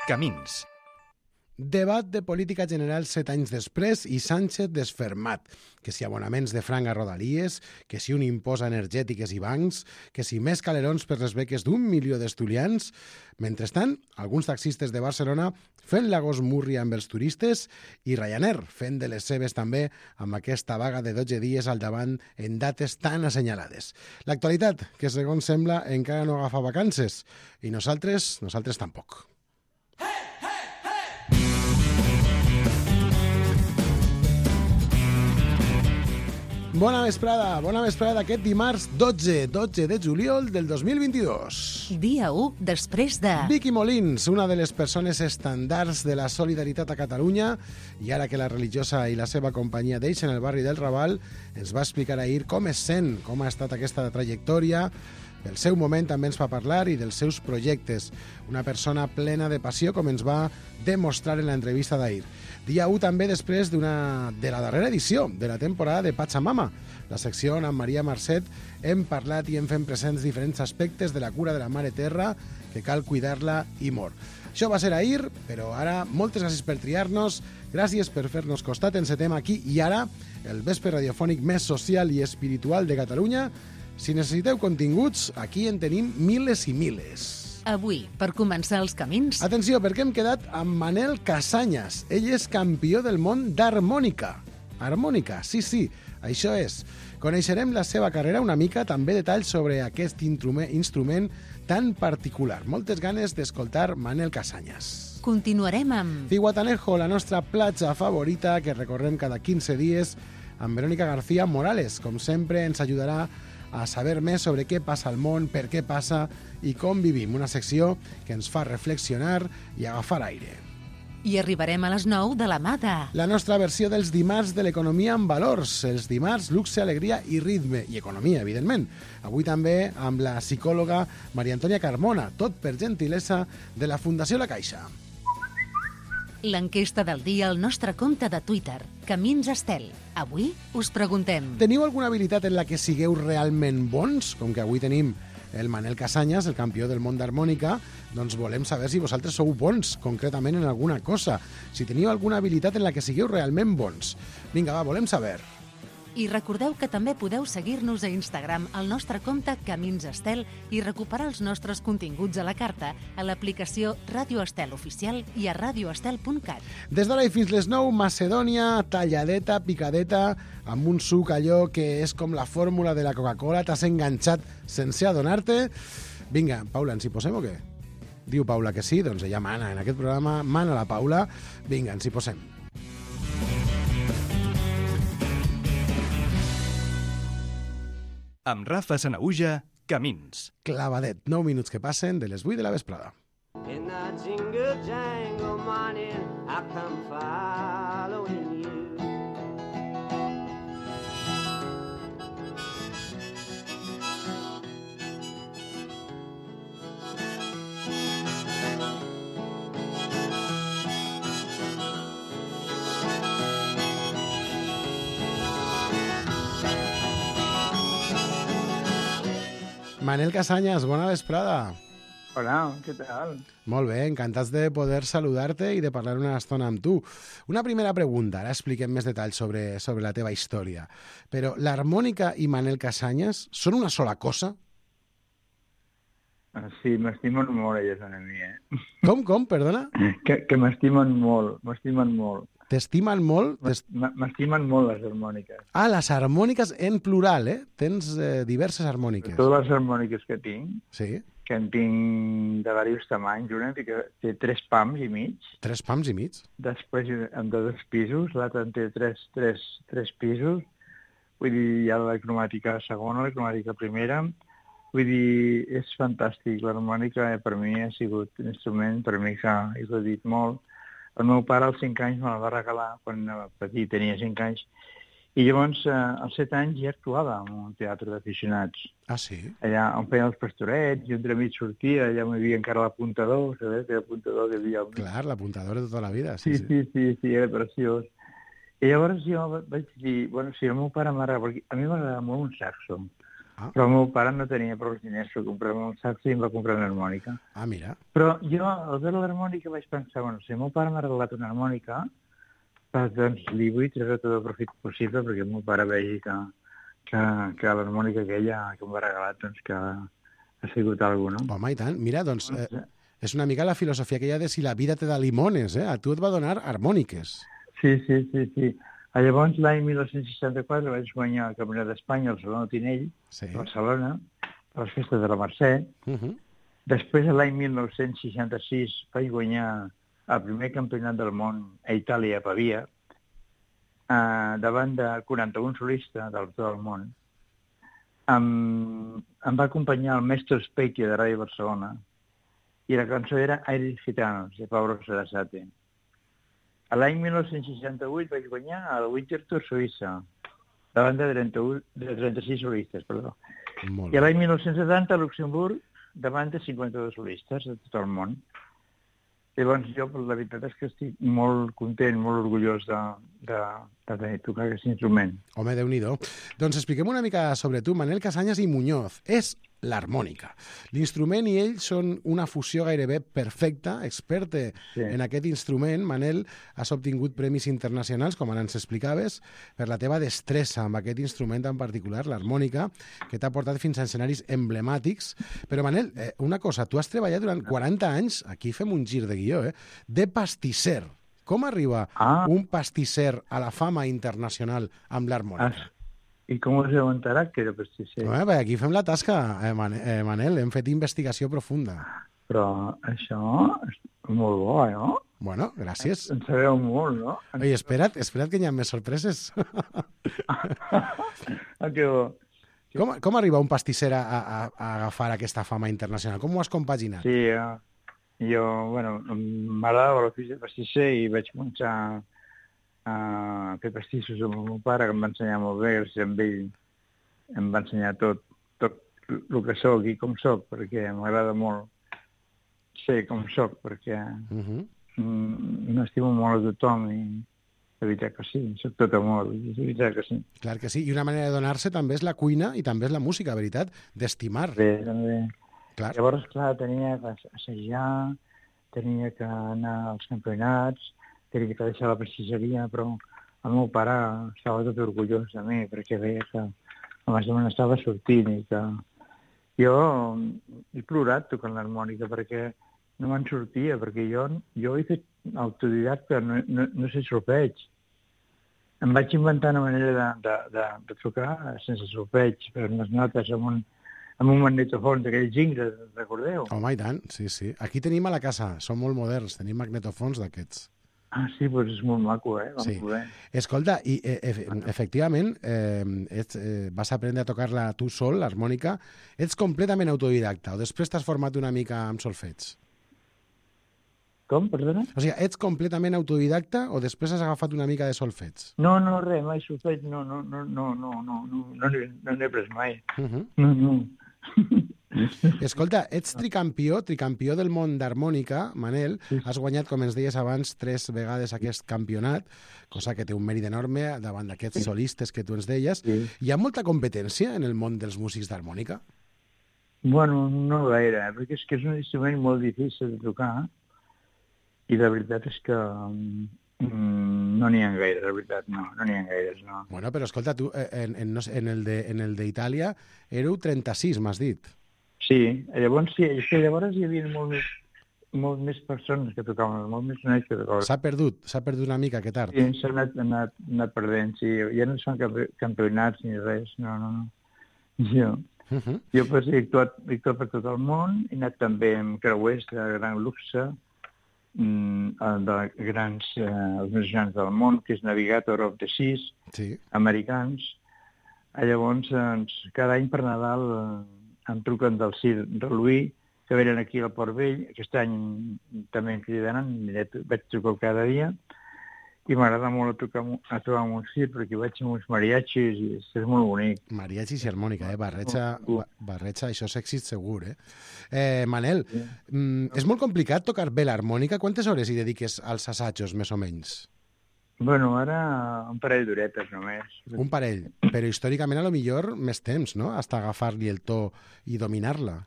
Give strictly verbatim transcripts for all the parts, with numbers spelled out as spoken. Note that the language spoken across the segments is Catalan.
Camins. Debat de política general set anys després i Sánchez desfermat. Que si abonaments de franc a Rodalies, que si un impost a energètiques i bancs, que si més calerons per les beques d'un milió d'estudiants. Mentrestant, alguns taxistes de Barcelona fent la gosmúrria amb els turistes i Ryanair fent de les seves també amb aquesta vaga de dotze dies al davant en dates tan assenyalades. L'actualitat, que segons sembla encara no agafa vacances. I nosaltres, nosaltres tampoc. Bona vesprada, bona vesprada aquest dimarts dotze, dotze de juliol del dos mil vint-i-dos. Dia u després de... Vicky Molins, una de les persones estandards de la solidaritat a Catalunya, i ara que la religiosa i la seva companyia deixen el barri del Raval, ens va explicar ahir com es sent, com ha estat aquesta trajectòria. Del seu moment també ens va parlar i dels seus projectes. Una persona plena de passió, com ens va demostrar en l'entrevista d'ahir. Dia u també després d'una de la darrera edició de la temporada de Pachamama, la secció on amb Maria Marcet hem parlat i hem fet presents diferents aspectes de la cura de la Mare Terra, que cal cuidar-la i molt. Això va ser ahir, però ara moltes gràcies per triar-nos, gràcies per fer-nos costat, encetem aquí i ara el vespre radiofònic més social i espiritual de Catalunya. Si necessiteu continguts, aquí en tenim miles i miles. Avui, per començar els camins... Atenció, perquè hem quedat amb Manel Casañas. Ell és campió del món d'harmònica. Harmònica, sí, sí, això és. Coneixerem la seva carrera una mica, també detalls sobre aquest instrument tan particular. Moltes ganes d'escoltar Manel Casañas. Continuarem amb... Zihuatanejo, la nostra platja favorita, que recorrem cada quinze dies, amb Verónica García Morales. Com sempre, ens ajudarà a saber més sobre què passa al món, per què passa i com vivim. Una secció que ens fa reflexionar i agafar aire. I arribarem a les nou de la mà de... La nostra versió dels dimarts de l'economia amb valors. Els dimarts, luxe, alegria i ritme. I economia, evidentment. Avui també amb la psicòloga Maria Antònia Carmona. Tot per gentilesa de la Fundació La Caixa. L'enquesta del dia al nostre compte de Twitter, Camins Estel. Avui us preguntem... Teniu alguna habilitat en la que sigueu realment bons? Com que avui tenim el Manel Casañas, el campió del món d'harmònica, doncs volem saber si vosaltres sou bons, concretament en alguna cosa. Si teniu alguna habilitat en la que sigueu realment bons. Vinga, va, volem saber. I recordeu que també podeu seguir-nos a Instagram al nostre compte Camins Estel i recuperar els nostres continguts a la carta a l'aplicació Ràdio Estel Oficial i a radioestel punt cat. Des d'ara i fins les nou, Macedònia, talladeta, picadeta, amb un suc allò que és com la fórmula de la Coca-Cola, t'has enganxat sense adonar-te. Vinga, Paula, ens hi posem o què? Diu Paula que sí, doncs ella mana en aquest programa, mana la Paula. Vinga, ens hi posem. Amb Rafa Sanaüja, Camins. Clavadet, nou minuts que passen de les vuit de la vesprada. In the jingle jangle morning, I come following you. Manel Casañas, bona vesprada. Hola, què tal? Molt bé, encantats de poder saludar-te i de parlar una estona amb tu. Una primera pregunta, ara expliquem més detalls sobre, sobre la teva història. Però l'harmònica i Manel Casañas són una sola cosa? Sí, m'estimen molt elles a mi, eh? Com, com, perdona? Que, que m'estimen molt, m'estimen molt. T'estimen molt? M'estimen molt les harmòniques. Ah, les harmòniques en plural, eh? Tens eh, diverses harmòniques. Totes les harmòniques que tinc, sí, que en tinc de diversos tamanys, una que té tres pams i mig. Tres pams i mig? Després en de dos pisos, l'altre en té tres, tres, tres pisos. Vull dir, hi ha la cromàtica segona, la cromàtica primera. Vull dir, és fantàstic. L'harmònica eh, per mi ha sigut un instrument, per mi que he gaudit molt. El meu pare als cinc anys me la va regalar quan era petit, tenia cinc anys, i llavors eh, als set anys ja actuava en un teatre d'aficionats. Ah, sí? Allà on feien els pastorets, i entre mig sortia, allà on hi havia encara l'apuntador, sabeu? Que l'apuntador que hi havia... Clar, l'apuntador de tota la vida, sí, sí. Sí, sí, sí, sí, era preciós. I llavors jo vaig dir, bueno, si el meu pare m'agrada, perquè a mi m'agrada molt un saxo, Ah. Però el meu pare no tenia prou diners per comprar-me un saxo i em va comprar una harmònica. Ah, mira. Però jo, al veure l'harmònica, vaig pensar, bueno, si el meu pare m'ha regalat una harmònica, doncs li vull treure tot el profit possible perquè el meu pare vegi que, que, que l'harmònica aquella que em va regalar, doncs que ha sigut alguna cosa, no? Home, i tant. Mira, doncs, eh, és una mica la filosofia que hi ha de si la vida te da limones, eh? A tu et va donar harmòniques. Sí, sí, sí, sí. Llavors, l'any dinou seixanta-quatre vaig guanyar el Campionat d'Espanya al Saló de Tinell, Sí. a Barcelona, a les festes de la Mercè. Uh -huh. Després, l'any dinou seixanta-sis, vaig guanyar el primer campionat del món a Itàlia, a Pavia, eh, davant de quaranta-un solistes del tot el món. Em, em va acompanyar el Mestre Specchio de Ràdio Barcelona i la cançó era Aires Gitanos, de Pablo Sarasate. A l'any dinou seixanta-vuit vaig guanyar el Winterthur Suïssa, davant de, trenta-u, de trenta-sis solistes, perdó. Molt I bé. l'any dinou setanta a Luxemburg, davant de cinquanta-dos solistes de tot el món. Llavors jo, la veritat és que estic molt content, molt orgullós de, de, de tenir tocar aquest instrument. Home, Déu-n'hi-do. Doncs expliquem una mica sobre tu. Manel Casañas i Muñoz és l'harmònica. L'instrument i ell són una fusió gairebé perfecta. Experte Sí. en aquest instrument, Manel, has obtingut premis internacionals, com ara ens explicaves, per la teva destressa amb aquest instrument en particular, l'harmònica, que t'ha portat fins a escenaris emblemàtics. Però, Manel, eh, una cosa, tu has treballat durant quaranta anys, aquí fem un gir de guió, eh, de pastisser. Com arriba Ah. un pastisser a la fama internacional amb l'harmònica? Ah, I com us heu enterat que era pastisser? Home, perquè aquí fem la tasca, eh, Man eh, Manel, hem fet investigació profunda. Però això és molt bo, no? Bueno, gràcies. En sabeu molt, no? Oi, espera't, espera't que hi ha més sorpreses. Ah, que bo. Com, com arriba un pastisser a, a, a agafar aquesta fama internacional? Com ho has compaginat? Sí, eh, jo, bueno, m'agradava l'ofici de pastisser i vaig començar a fer pastissos amb el meu pare, que em va ensenyar molt bé, gràcies a ell em va ensenyar tot, tot el que sóc i com sóc, perquè m'agrada molt ser com sóc, perquè Uh -huh. mm, m'estimo molt a tothom i de veritat que sí, sóc tot amor, de veritat que sí. Clar que sí, i una manera de donar-se també és la cuina i també és la música, veritat, d'estimar. Bé, també. Clar. Llavors, clar, tenia que assajar, tenia que anar als campionats, tenia que deixar la pastisseria, però el meu pare estava tot orgullós de mi, perquè veia que més o menys estava sortint i que jo he plorat tocant l'harmònica perquè no me'n sortia, perquè jo, jo he fet autodidacta, no, no, no sé solfeig. Em vaig inventar una manera de, de, de, de tocar sense solfeig, per unes notes amb un, amb un magnetofon d'aquells ingres, recordeu? Home, i tant, sí, sí. Aquí tenim a la casa, som molt moderns, tenim magnetofons d'aquests. Ah, sí, doncs és molt maco, eh? Vam Sí. poder. Escolta, i eh, ef efectivament eh, ets, eh, vas aprendre a tocar-la tu sol, l'harmònica. Ets completament autodidacta o després t'has format una mica amb solfeig? Com, perdona? O sigui, ets completament autodidacta o després has agafat una mica de solfeig? No, no, res, mai solfeig, no, no, no, no, no, no, no, no n'he no n'he pres mai. Uh -huh. No, no. Escolta, ets tricampió, tricampió del món d'harmònica, Manel. Has guanyat, com ens deies abans, tres vegades aquest campionat, cosa que té un mèrit enorme davant d'aquests solistes que tu ens deies. Sí. Hi ha molta competència en el món dels músics d'harmònica? Bueno, no gaire, eh? Perquè és que és un instrument molt difícil de tocar i la veritat és que mm, no n'hi ha gaire, la veritat, no, no n'hi ha gaires, no. Bueno, però escolta, tu eh, en, en, no sé, en el de- en el d'Itàlia éreu trenta-sis, m'has dit. Sí, llavors sí, és que llavors hi havia molt més, molt més persones que tocaven, molt més nois que tocaven. S'ha perdut, s'ha perdut una mica aquest art. Sí, s'ha anat, anat, anat perdent, sí. Ja no es fan campi- campionats ni res, no, no, no. Jo, Uh -huh. jo pues, he, actuat, he actuat per tot el món, he anat també amb creuers de gran luxe, mm, de grans, eh, els més grans del món, que és Navigator of the Seas, Sí. americans. Llavors, doncs, cada any per Nadal eh, em truquen del Circ de Louis, que venen aquí al Port Vell. Aquest any també em cridaran, vaig trucar cada dia, i m'agrada molt a tocar, a tocar amb un circ, perquè vaig amb uns mariachis i és, és molt bonic. Mariachis i harmònica, eh? Barreja, ba- barreja, això és èxit segur, eh? eh Manel, mm, és molt complicat tocar bé l'harmònica. Quantes hores hi dediques als assajos, més o menys? Bueno, ara un parell d'horetes només. Un parell, però històricament a lo millor més temps, no? Hasta agafar-li el to i dominar-la.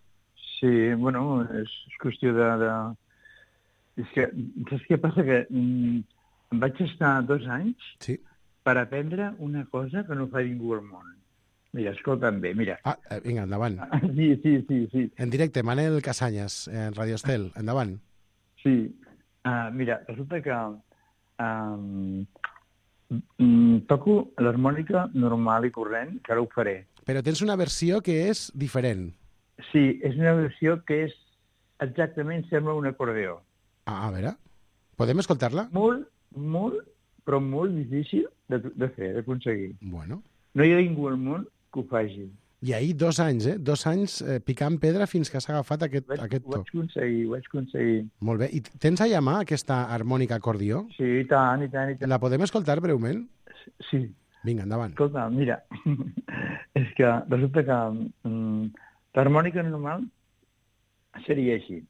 Sí, bueno, és, és qüestió de... de... És que, saps què passa? Que mm, vaig estar dos anys Sí. per aprendre una cosa que no fa ningú al món. Mira, escolta'm bé, mira. Ah, eh, vinga, endavant. Sí, sí, sí, sí. En directe, Manel Casanyes, en Radio Estel, endavant. Sí. Uh, mira, resulta que um, mm, toco l'harmònica normal i corrent, que ara ho faré. Però tens una versió que és diferent. Sí, és una versió que és exactament sembla un acordeó. Ah, a veure, podem escoltar-la? Molt, molt, però molt difícil de, de fer, d'aconseguir. Bueno. No hi ha ningú al món que ho faci. I ahir dos anys, eh? Dos anys eh, picant pedra fins que s'ha agafat aquest, Vaig, aquest ho to. vaig aconseguir, ho vaig aconseguir. Molt bé. I tens allà a mà aquesta harmònica acordió? Sí, i tant, i tant, i tant. La podem escoltar breument? Sí. Vinga, endavant. Escolta, mira, és que resulta que mm, l'harmònica normal seria així.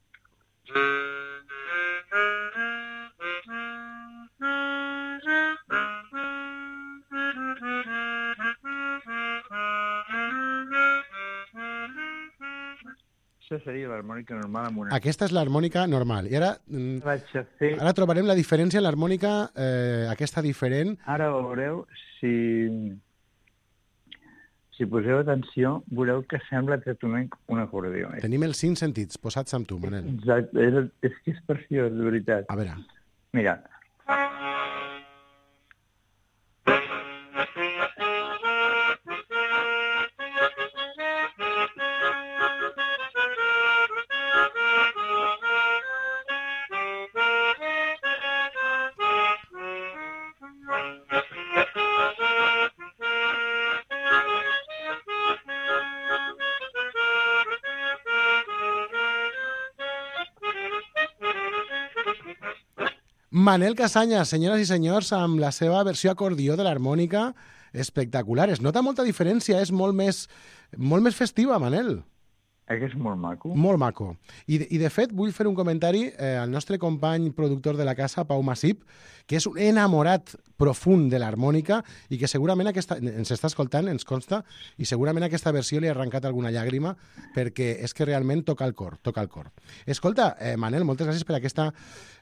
Això seria l'harmònica normal amb una... Aquesta és l'harmònica normal. I ara, mm, Vaig a fer... ara trobarem la diferència en l'harmònica, eh, aquesta diferent. Ara veureu, si, si poseu atenció, veureu que sembla exactament un acordeó. Eh? Tenim els cinc sentits posats amb tu, Manel. Exacte, és, és que és preciós, de veritat. A veure. Mira. Manel Casanyes, senyores i senyors, amb la seva versió acordió de l'harmònica espectacular. Es nota molta diferència, és molt més, molt més festiva, Manel. Eh, que és molt maco. Molt maco. I, de- i de fet, vull fer un comentari eh, al nostre company productor de la casa, Pau Massip, que és un enamorat profund de l'harmònica i que segurament aquesta, ens està escoltant, ens consta, i segurament aquesta versió li ha arrencat alguna llàgrima perquè és que realment toca el cor, toca el cor. Escolta, eh, Manel, moltes gràcies per aquesta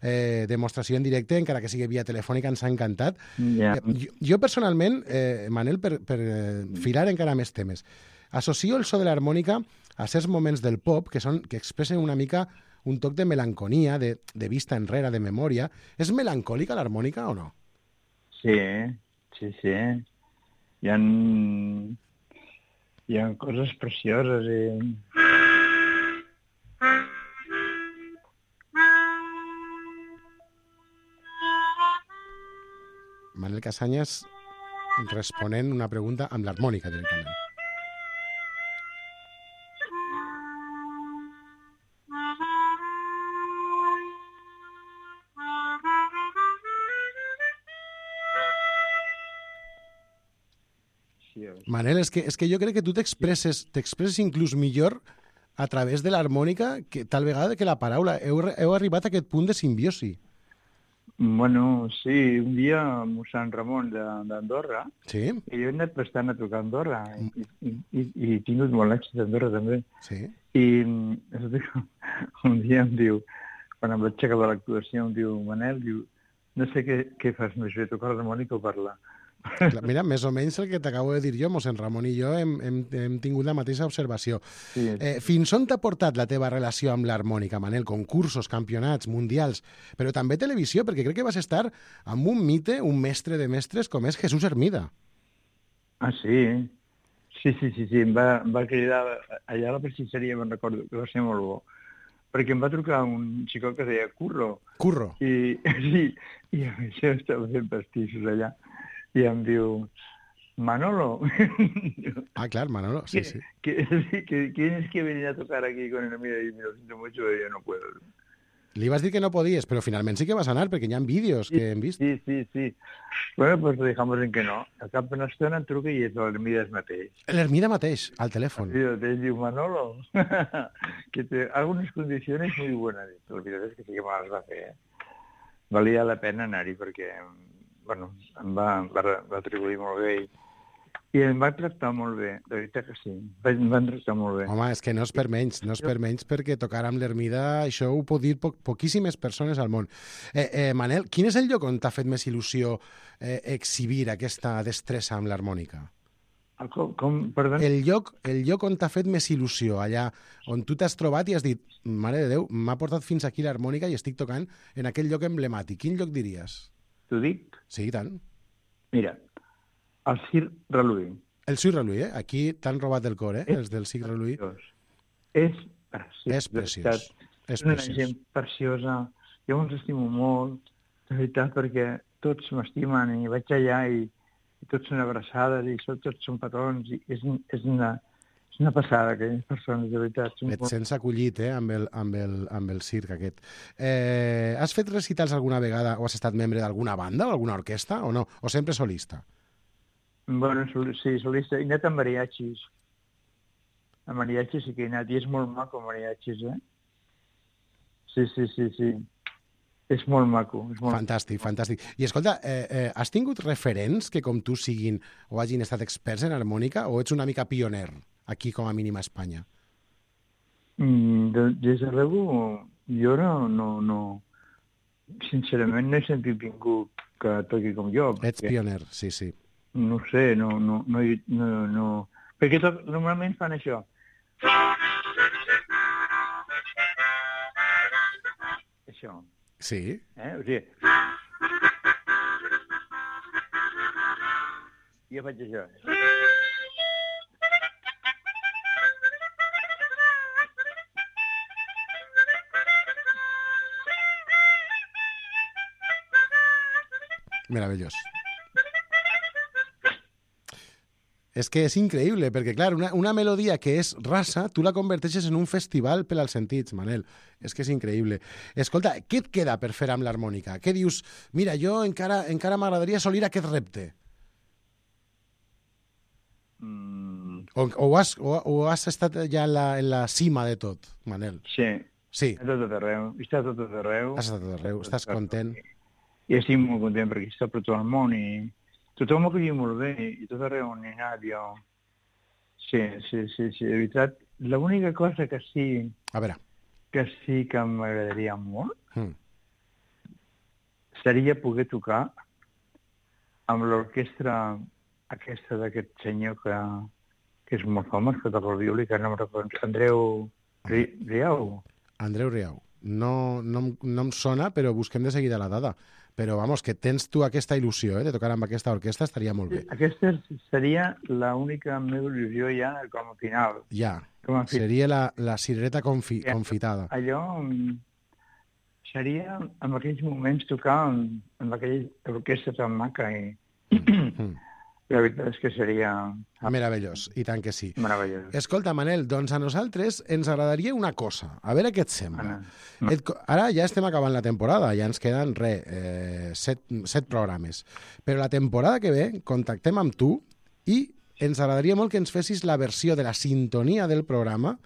eh, demostració en directe, encara que sigui via telefònica, ens ha encantat. Ja. Eh, jo, jo personalment, eh, Manel, per, per eh, filar encara més temes, associo el so de l'harmònica a certs moments del pop que, són, que expressen una mica un toc de melanconia, de, de vista enrere, de memòria. És melancòlica l'harmònica o no? Sí, sí, sí. Hi ha, hi ha coses precioses i... Manel Casanyes responent una pregunta amb l'harmònica directament. Sí, és- Manel, és que, és que jo crec que tu t'expresses t'expresses inclús millor a través de l'harmònica que tal vegada que la paraula. Heu, heu arribat a aquest punt de simbiosi. Bueno, sí, un dia a mossèn Ramon de- d'Andorra, Sí? i jo he anat bastant a tocar a Andorra, i, i, i, i he tingut molt èxit a Andorra també. Sí. I mm, un dia em diu, quan em vaig aixecar de l'actuació, em diu, Manel, diu, no sé què, què fas més bé, tocar l'harmònica o parlar. Clar, mira, més o menys el que t'acabo de dir jo, mossèn Ramon i jo hem, hem, hem tingut la mateixa observació. Sí, Eh, fins on t'ha portat la teva relació amb l'harmònica, Manel? Concursos, campionats, mundials, però també televisió, perquè crec que vas estar amb un mite, un mestre de mestres com és Jesús Hermida. Ah, sí? Sí, sí, sí, sí. Em va, em va cridar allà a la pastisseria, me'n recordo, que va ser molt bo. Perquè em va trucar un xicot que es deia Curro. Curro. I, sí, i a mi jo estava fent pastissos allà. I em diu, Manolo, Ah, clar, Manolo, sí, sí. que, que, que, ¿tienes que venir a tocar aquí con el mira? Y me lo siento mucho, yo no puedo. Li vas dir que no podies, però finalment sí que vas anar, perquè hi ha vídeos que hem vist. Sí, sí, sí. Bueno, pues lo dejamos en que no. Al cap d'una estona em truca i és l'Hermides mateix. L'Hermida mateix, al telèfon. Sí, te diu, Manolo, que te hago unas condiciones muy buenas. La veritat és que sí que me les va fer, eh? Valia la pena anar-hi perquè bueno, em va, em va, va atribuir molt bé i, i em va tractar molt bé, de veritat que sí, em van tractar molt bé. Home, és que no és per menys, no és per menys perquè tocar amb l'Ermida, això ho pot dir po poquíssimes persones al món. Eh, eh, Manel, quin és el lloc on t'ha fet més il·lusió eh, exhibir aquesta destressa amb l'harmònica? Com, com, perdó? El lloc, el lloc on t'ha fet més il·lusió, allà on tu t'has trobat i has dit, mare de Déu, m'ha portat fins aquí l'harmònica i estic tocant en aquell lloc emblemàtic. Quin lloc diries? T'ho dic? Sí, tant. Mira, el Circ Reluí. El Circ Reluí, eh? Aquí t'han robat el cor, eh? És Els del Circ Reluí. És preciós. És preciós. És una preciós. gent preciosa. Jo els estimo molt, de veritat, perquè tots m'estimen i vaig allà i i tots són abraçades i tots són patrons i és, és, una, és una passada, aquelles persones, de veritat. Et sents acollit, eh, amb el, amb el, amb el circ aquest. Eh, has fet recitals alguna vegada o has estat membre d'alguna banda o alguna orquestra o no? O sempre solista? Bueno, sí, solista. He anat a mariachis. A mariachis sí que he anat i és molt maco, mariachis, eh? Sí, sí, sí, sí. És molt maco. És molt... Fantàstic, fantàstic. I escolta, eh, eh, has tingut referents que com tu siguin o hagin estat experts en harmònica o ets una mica pioner aquí com a mínim a Espanya? Mm, de, des de luego, jo no, no, no... Sincerament no he sentit ningú que toqui com jo. Ets perquè, pioner, sí, sí. No sé, no... no, no, no, no... Perquè to, normalment fan això. Això. Sí? Eh? O sigui... Jo faig això. Meravellós. És que és increïble, perquè, clar, una, una melodia que és rasa, tu la converteixes en un festival per als sentits, Manel. És que és increïble. Escolta, què et queda per fer amb l'harmònica? Què dius? Mira, jo encara encara m'agradaria assolir aquest repte. Mm. O, o, has, o, o has estat ja en la, en la cima de tot, Manel? Sí. Sí. A tot arreu. Està tot arreu. Has estat a tot arreu. Estàs content? I estic molt content perquè està per tot el món i tothom m'ho acollit molt bé i tot arreu on he anat jo. Sí, sí, sí, sí, de veritat. L'única cosa que sí, A veure. que sí que m'agradaria molt Mm. seria poder tocar amb l'orquestra aquesta d'aquest senyor que, que és molt famós, que toca el violí, que no em recordo, Andreu Ri, Riau. Andreu Riau. No, no, em- no em sona, però busquem de seguida la dada. Però, vamos, que tens tu aquesta il·lusió, eh, de tocar amb aquesta orquestra, estaria molt bé. Aquesta seria l'única meva il·lusió ja com a final. Ja, Com a fi- seria la, la cirereta confi, Ja. confitada. Allò mm, seria en aquells moments tocar amb, amb aquella orquestra tan maca i Mm. la veritat és que seria Meravellós, i tant que sí. meravellós. Escolta, Manel, doncs a nosaltres ens agradaria una cosa. A veure què et sembla. Anna. Et, co- ara ja estem acabant la temporada, ja ens queden, re, eh, set, set programes. Però la temporada que ve contactem amb tu i ens agradaria molt que ens fessis la versió de la sintonia del programa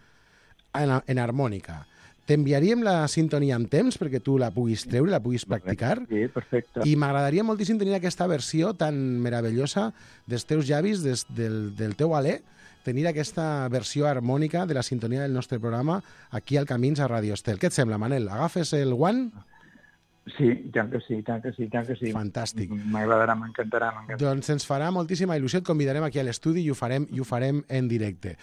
en, en harmònica. T'enviaríem la sintonia amb temps perquè tu la puguis treure, la puguis practicar. Sí, perfecte. I m'agradaria moltíssim tenir aquesta versió tan meravellosa dels teus llavis, des, del, del teu alè, tenir aquesta versió harmònica de la sintonia del nostre programa aquí al Camins a Radio Estel. Què et sembla, Manel? Agafes el guant? Sí, tant que sí, tant que sí, tant que sí. Fantàstic. M'agradarà, m'encantarà, m'encantarà. Doncs ens farà moltíssima il·lusió, et convidarem aquí a l'estudi i ho farem i ho farem en directe.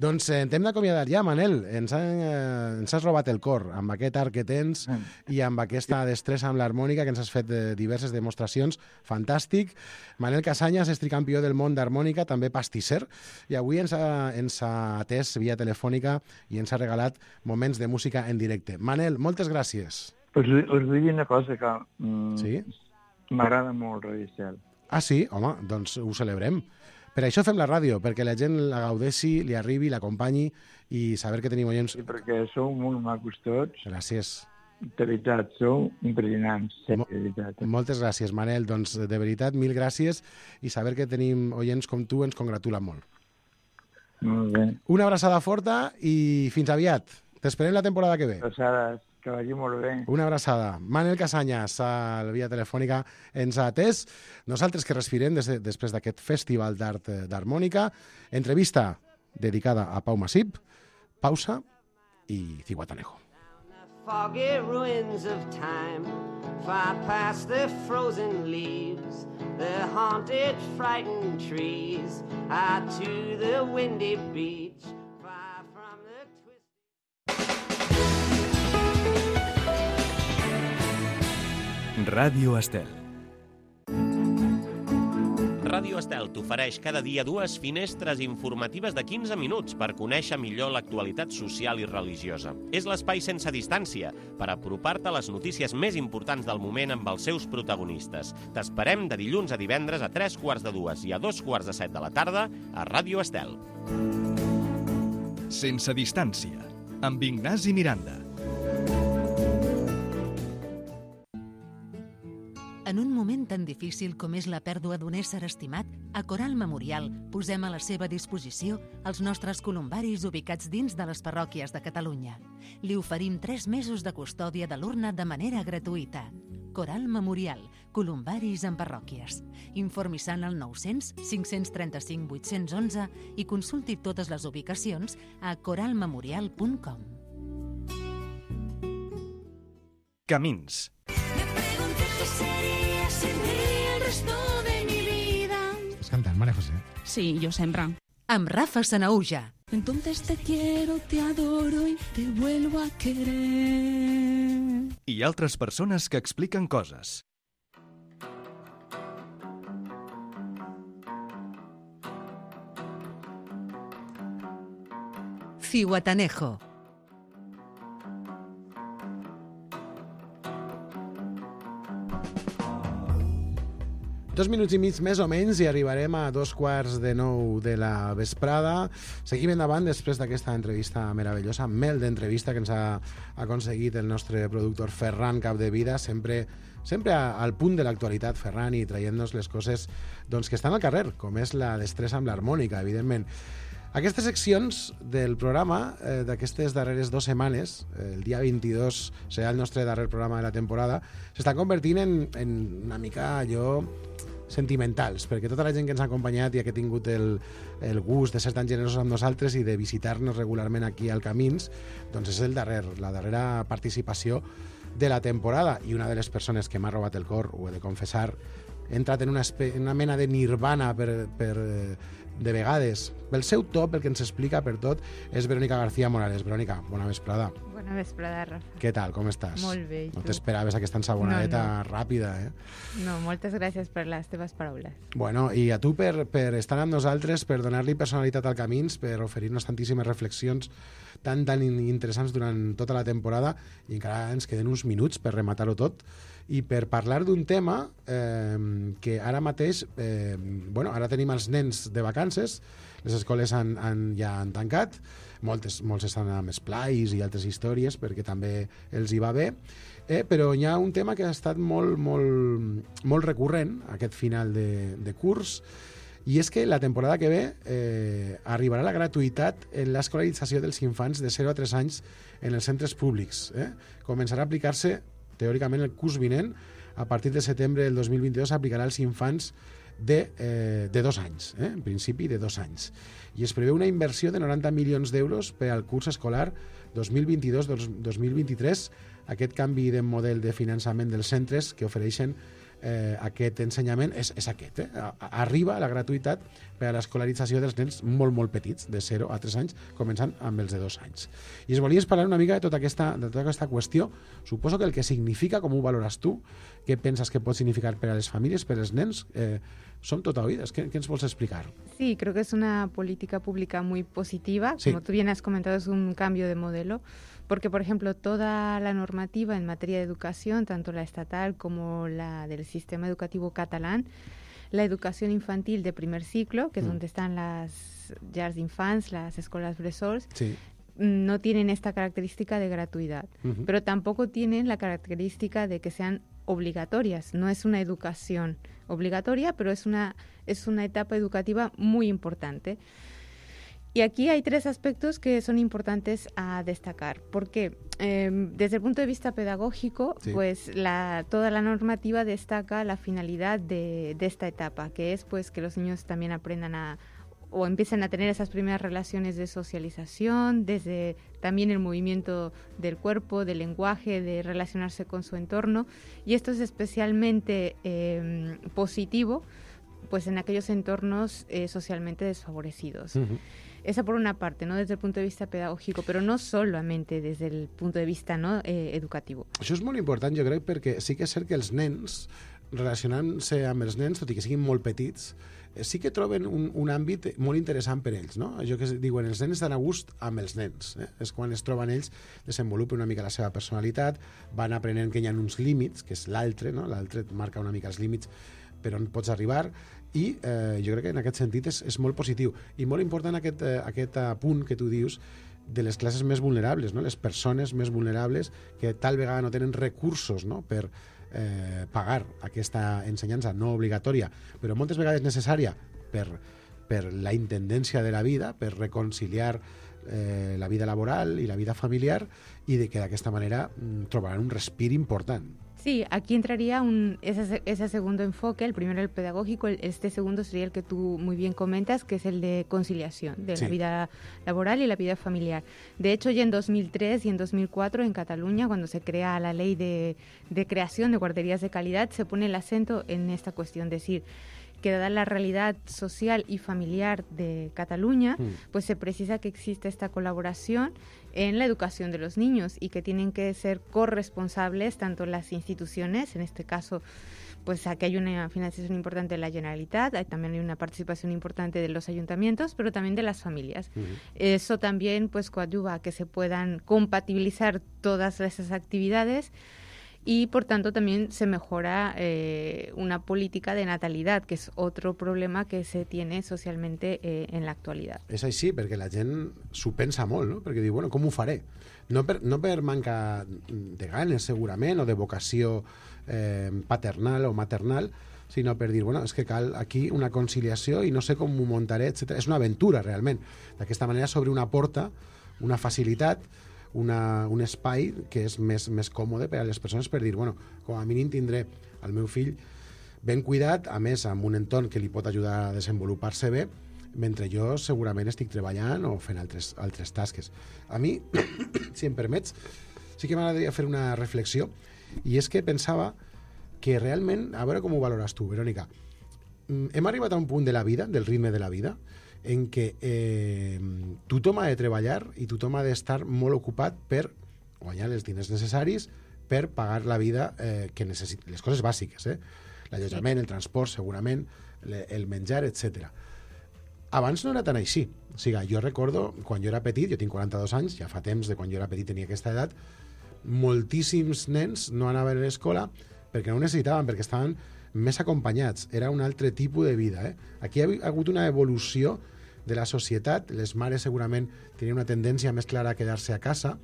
Doncs eh, t'hem d'acomiadar ja, Manel. Ens, ha, eh, ens has robat el cor amb aquest art que tens i amb aquesta destressa amb l'harmònica que ens has fet eh, diverses demostracions. Fantàstic. Manel Casanyes és tricampió del món d'harmònica, també pastisser, i avui ens ha, ens ha atès via telefònica i ens ha regalat moments de música en directe. Manel, moltes gràcies. Us, us vull dir una cosa que mm, Sí? m'agrada molt, Radio Estel. Ah, sí? Home, doncs ho celebrem. Per això fem la ràdio, perquè la gent la gaudeixi, li arribi, l'acompanyi i saber que tenim oients. Sí, perquè sou molt macos tots. Gràcies. De veritat, sou impressionants. Sí, Mo- de veritat. Moltes gràcies, Manel. Doncs, de veritat, mil gràcies i saber que tenim oients com tu ens congratula molt. Molt bé. Una abraçada forta i fins aviat. T'esperem la temporada que ve. Passades. Que vagi molt bé. Una abraçada. Manel Casanyes, a la via telefònica, ens ha atès. Nosaltres que respirem des de, després d'aquest Festival d'Art d'Harmònica. Entrevista dedicada a Pau Masip, pausa i Zihuatanejo. Foggy ruins of time, far past the frozen leaves, the haunted, frightened trees, out to the windy beach, far from the twisted... Ràdio Estel. Ràdio Estel t'ofereix cada dia dues finestres informatives de quinze minuts per conèixer millor l'actualitat social i religiosa. És l'espai sense distància per apropar-te a les notícies més importants del moment amb els seus protagonistes. T'esperem de dilluns a divendres a tres quarts de dues i a dos quarts de set de la tarda a Ràdio Estel. Sense distància, amb Ignasi Miranda. En un moment tan difícil com és la pèrdua d'un ésser estimat, a Coral Memorial posem a la seva disposició els nostres columbaris ubicats dins de les parròquies de Catalunya. Li oferim tres mesos de custòdia de l'urna de manera gratuïta. Coral Memorial, columbaris en parròquies. Informi-se'n al nou-cents, cinc-cents trenta-cinc, vuit-cents onze i consulti totes les ubicacions a coral memorial punt com. Camins. Estàs cantant, Maria José? Sí, yo sempre. Amb Rafa Sanaúja. Entonces te quiero, te adoro y te vuelvo a querer. I altres persones que expliquen coses. Zihuatanejo. Dos minuts i mig més o menys i arribarem a dos quarts de nou de la vesprada. Seguim endavant després d'aquesta entrevista meravellosa, mel d'entrevista que ens ha aconseguit el nostre productor Ferran Capdevila, sempre, sempre al punt de l'actualitat, Ferran, i traient-nos les coses doncs, que estan al carrer, com és la destressa amb l'harmònica, evidentment. Aquestes seccions del programa, eh, d'aquestes darreres dues setmanes, eh, el dia vint-i-dos serà el nostre darrer programa de la temporada, s'estan convertint en, en una mica allò sentimentals, perquè tota la gent que ens ha acompanyat i que ha tingut el, el gust de ser tan generosos amb nosaltres i de visitar-nos regularment aquí al Camins, doncs és el darrer, la darrera participació de la temporada, i una de les persones que m'ha robat el cor, ho he de confessar, he entrat en una, espe- en una mena de nirvana per, per, de vegades. Pel seu to, pel que ens explica, per tot, és Verònica García Morales. Verònica, bona vesprada. Bona vesprada, Rafa. Què tal, com estàs? Molt bé, i No tu? t'esperaves aquesta ensabonadeta No, no. ràpida, eh? No, moltes gràcies per les teves paraules. Bueno, i a tu per, per estar amb nosaltres, per donar-li personalitat al Camins, per oferir-nos tantíssimes reflexions tan, tan interessants durant tota la temporada, i encara ens queden uns minuts per rematar-ho tot, i per parlar d'un tema eh, que ara mateix, eh, bueno, ara tenim els nens de vacances, les escoles han, han, ja han tancat, moltes, molts estan amb esplais i altres històries perquè també els hi va bé, eh, però hi ha un tema que ha estat molt, molt, molt recurrent aquest final de, de curs, i és que la temporada que ve eh, arribarà la gratuïtat en l'escolarització dels infants de zero a tres anys en els centres públics. Eh? Començarà a aplicar-se teòricament el curs vinent, a partir de setembre del dos mil vint-i-dos s'aplicarà als infants de, eh, de dos anys, eh? en principi de dos anys. I es preveu una inversió de noranta milions d'euros per al curs escolar dos mil vint-i-dos dos mil vint-i-tres, aquest canvi de model de finançament dels centres que ofereixen eh, aquest ensenyament és, és aquest. Eh? Arriba la gratuïtat per a l'escolarització dels nens molt, molt petits, de zero a tres anys, començant amb els de dos anys. I es volies parlar una mica de tota aquesta, de tota aquesta qüestió. Suposo que el que significa, com ho valores tu, què penses que pot significar per a les famílies, per als nens, eh, som tot oïdes. ¿Qué, ¿Qué nos puedes explicar? Sí, creo que es una política pública muy positiva. Sí. Como tú bien has comentado, es un cambio de modelo, porque, por ejemplo, toda la normativa en materia de educación, tanto la estatal como la del sistema educativo catalán, la educación infantil de primer ciclo, que es Mm. donde están las llars d'infants, las escuelas bressols, Sí. no tienen esta característica de gratuidad, Ujú. pero tampoco tienen la característica de que sean obligatorias. No es una educación obligatoria, pero es una, es una etapa educativa muy importante. Y aquí hay tres aspectos que son importantes a destacar, porque eh, desde el punto de vista pedagógico, sí. pues la, toda la normativa destaca la finalidad de, de esta etapa, que es pues que los niños también aprendan a o empiecen a tener esas primeras relaciones de socialización, desde también el movimiento del cuerpo, del lenguaje, de relacionarse con su entorno, y esto es especialmente eh, positivo pues en aquellos entornos eh, socialmente desfavorecidos. Uh-huh. Esa por una parte, ¿no? Desde el punto de vista pedagógico, però no solamente des del punt de vista, no, eh, educatiu. Això és molt important, jo crec, perquè sí que és cert que els nens, relacionant-se amb els nens, tot i que siguin molt petits, sí que troben un, un àmbit molt interessant per ells, no? Allò que diuen, els nens estan a gust amb els nens. Eh? És quan es troben ells, desenvolupen una mica la seva personalitat, van aprenent que hi ha uns límits, que és l'altre, no? L'altre marca una mica els límits per on pots arribar, i eh, jo crec que en aquest sentit és, és molt positiu. I molt important aquest, eh, aquest punt que tu dius de les classes més vulnerables, no? Les persones més vulnerables que tal vegada no tenen recursos, no? per eh, pagar aquesta ensenyança no obligatòria, però moltes vegades necessària per, per la intendència de la vida, per reconciliar eh, la vida laboral i la vida familiar, i de que d'aquesta manera mm, trobaran un respir important. Sí, aquí entraría un, ese, ese segundo enfoque, el primero el pedagógico, el, este segundo sería el que tú muy bien comentas, que es el de conciliación de sí. la vida laboral y la vida familiar. De hecho, ya en dos mil tres y en dos mil cuatro en Cataluña, cuando se crea la ley de, de creación de guarderías de calidad, se pone el acento en esta cuestión, decir, que dada la realidad social y familiar de Cataluña, mm. pues se precisa que existe esta colaboración en la educación de los niños y que tienen que ser corresponsables tanto las instituciones, en este caso, pues aquí hay una financiación importante de la Generalitat, hay, también hay una participación importante de los ayuntamientos, pero también de las familias. Mm. Eso también pues coadyuva a que se puedan compatibilizar todas esas actividades, y por tanto también se mejora eh, una política de natalidad, que és otro problema que se tiene socialmente eh, en l'actualitat. És així, perquè la gent s'ho pensa molt, no? Perquè diu, bueno, com ho faré? No per, no per manca de ganes, segurament, o de vocació eh, paternal o maternal, sinó per dir, bueno, és que cal aquí una conciliació i no sé com ho muntaré, etcètera. És una aventura, realment. D'aquesta manera s'obre una porta, una facilitat, Una, un espai que és més, més còmode per a les persones per dir, bueno, com a mínim tindré el meu fill ben cuidat, a més amb un entorn que li pot ajudar a desenvolupar-se bé, mentre jo segurament estic treballant o fent altres, altres tasques. A mi, si em permets, sí que m'agradaria fer una reflexió, i és que pensava que realment, a veure com ho valores tu, Verònica, hem arribat a un punt de la vida, del ritme de la vida, en què eh, tothom ha de treballar i tothom ha d'estar molt ocupat per guanyar els diners necessaris per pagar la vida eh, que necessita, les coses bàsiques, eh? L'allotjament, el transport, segurament, el menjar, etcètera. Abans no era tan així. O sigui, jo recordo, quan jo era petit, jo tinc quaranta-dos anys, ja fa temps de quan jo era petit tenia aquesta edat, moltíssims nens no anaven a l'escola perquè no ho necessitaven, perquè estaven més acompanyats. Era un altre tipus de vida. Eh? Aquí ha hagut una evolució de la societat. Les mares segurament tenien una tendència més clara a quedar-se a casa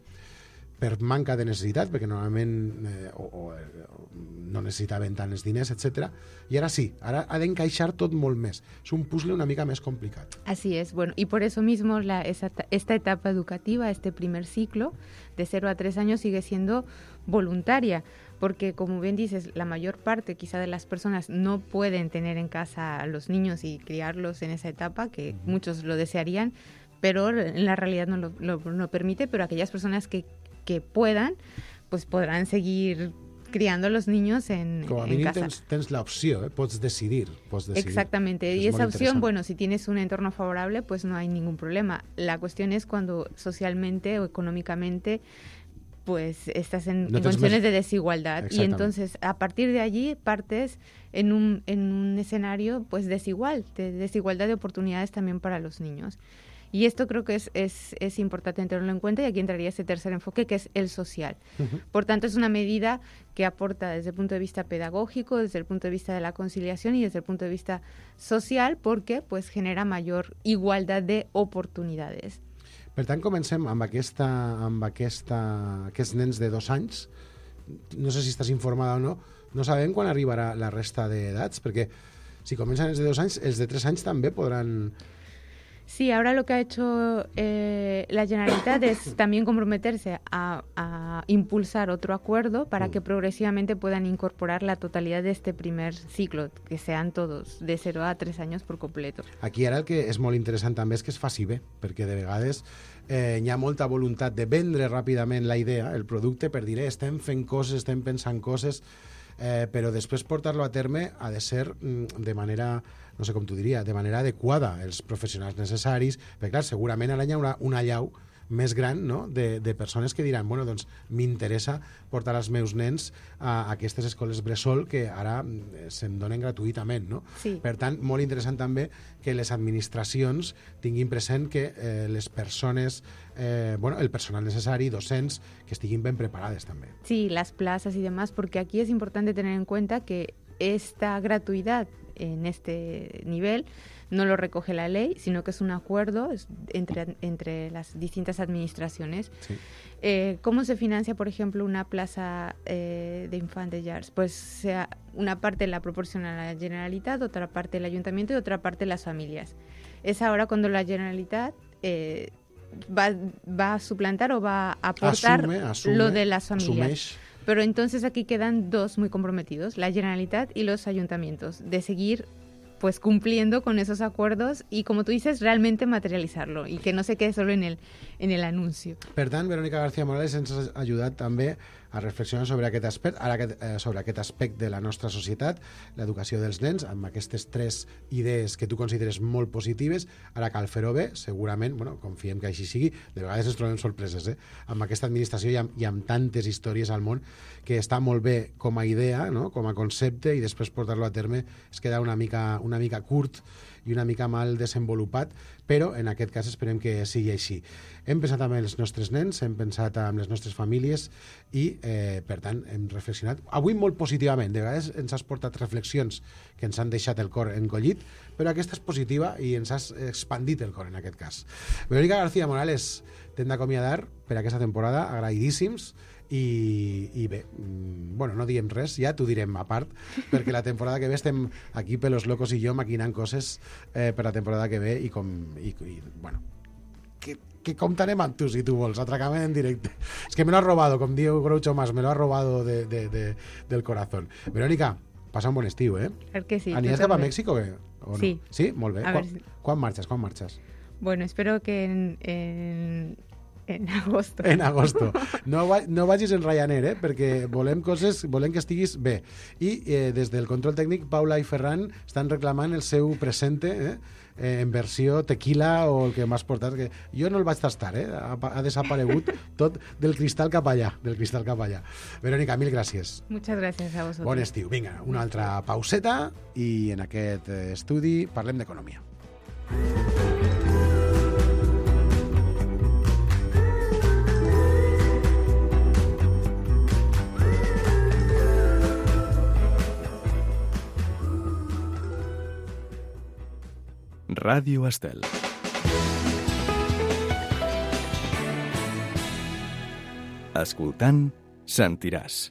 per manca de necessitat, perquè normalment eh, o, o, o no necessitaven tant els diners, etcètera. I ara sí, ara ha d'encaixar tot molt més. És un puzzle una mica més complicat. Así es, bueno, y por eso mismo la, esa, esta etapa educativa, este primer ciclo, de cero a tres años, sigue siendo voluntaria, porque como bien dices, la mayor parte quizá de las personas no pueden tener en casa a los niños y criarlos en esa etapa, que muchos lo desearían, pero en la realidad no lo, lo no permite, pero aquellas personas que, que puedan, pues podrán seguir criando a los niños en, Como a en mínim casa. Tens, tens la opció, eh? Pots decidir, pots decidir. Exactamente, y esa opción, bueno, si tienes un entorno favorable, pues no hay ningún problema. La cuestión es cuando socialmente o económicamente pues estás en, no en condiciones más... de desigualdad, y entonces a partir de allí partes en un, en un escenario pues desigual, de desigualdad de oportunidades también para los niños. Y esto creo que es, es, es importante tenerlo en cuenta, y aquí entraría ese tercer enfoque, que es el social. Uh-huh. Por tanto, es una medida que aporta desde el punto de vista pedagógico, desde el punto de vista de la conciliación y desde el punto de vista social, porque pues genera mayor igualdad de oportunidades. Per tant, comencem amb, aquesta, amb aquesta, aquests nens de dos anys. No sé si estàs informada o no. No sabem quan arribarà la resta d'edats, perquè si comencen els de dos anys, els de tres anys també podran Sí, ahora lo que ha hecho eh, la Generalitat es también comprometerse a, a impulsar otro acuerdo para que progresivamente puedan incorporar la totalidad de este primer ciclo, que sean todos de cero a tres anys per completo. Aquí ara el que és molt interessant també és que es faci bé, perquè de vegades eh, hi ha molta voluntat de vendre ràpidament la idea, el producte, per dir, eh, estem fent coses, estem pensant coses, eh, però després portar-lo a terme ha de ser mm, de manera, no sé com t'ho diria, de manera adequada, els professionals necessaris, perquè clar, segurament ara hi haurà una llau més gran, no?, de, de persones que diran, bueno, doncs m'interessa portar els meus nens a, a aquestes escoles bressol que ara se'm donen gratuïtament, no? Sí. Per tant, molt interessant també que les administracions tinguin present que eh, les persones, eh, bueno, el personal necessari, docents, que estiguin ben preparades també. Sí, las plazas y demás, porque aquí es importante tener en cuenta que esta gratuidad en este nivel no lo recoge la ley, sino que es un acuerdo entre, entre las distintas administraciones. Sí. Eh, ¿Cómo se financia, por ejemplo, una plaza eh, de infantes llars? Pues sea, una parte la proporciona la Generalitat, otra parte el Ayuntamiento y otra parte las familias. Es ahora cuando la Generalitat eh, va, va a suplantar o va a aportar asume, asume, lo de las familias. Asumeix. Pero entonces aquí quedan dos muy comprometidos, la Generalitat y los ayuntamientos, de seguir pues cumpliendo con esos acuerdos y, como tú dices, realmente materializarlo y que no se quede solo en el, en el anuncio. Per tant, Verónica García Morales ens ha ajudat també a reflexionar sobre aquest aspecte, ara aquest, eh, sobre aquest aspecte de la nostra societat, l'educació dels nens, amb aquestes tres idees que tu consideres molt positives. Ara cal fer-ho bé, segurament, bueno, confiem que així sigui, de vegades ens trobem sorpreses, eh? Amb aquesta administració i amb, i amb tantes històries al món, que està molt bé com a idea, no?, com a concepte, i després portar-lo a terme es queda una mica, una mica curt i una mica mal desenvolupat, però en aquest cas esperem que sigui així. Hem pensat amb els nostres nens, hem pensat amb les nostres famílies i, eh, per tant, hem reflexionat. Avui molt positivament, de vegades ens has portat reflexions que ens han deixat el cor encollit, però aquesta és positiva i ens has expandit el cor en aquest cas. Verónica García Morales, t'hem d'acomiadar per aquesta temporada, agraïdíssims. I, i bé, bueno, no diem res, ja t'ho direm a part, perquè la temporada que ve estem aquí pelos locos i jo maquinant coses eh, per la temporada que ve i com, i, i bueno, que, que comptarem amb tu si tu vols, atracament en directe. És que me lo ha robado, com diu Groucho Mas, me lo ha robado de, de, de, del corazón. Verónica, passa un bon estiu, eh? Claro que sí. Anies cap a Mèxic o què? O no? Sí. Sí? Molt bé. A Quan, ver si... quan marxes? Quan marxes? Bueno, espero que en... en... En agosto. En agosto. No, va, no vagis en Ryanair, eh? Perquè volem coses, volem que estiguis bé. I eh, des del control tècnic, Paula i Ferran estan reclamant el seu presente, eh? Eh, en versió tequila o el que m'has portat. Que jo no el vaig tastar, eh? Ha, ha desaparegut tot del cristal cap allà. Del cristal cap allà. Verónica, mil gràcies. Muchas gracias a vosotros. Bon estiu. Vinga, una altra pauseta i en aquest estudi parlem d'economia. Ràdio Estel. Escoltant, sentiràs.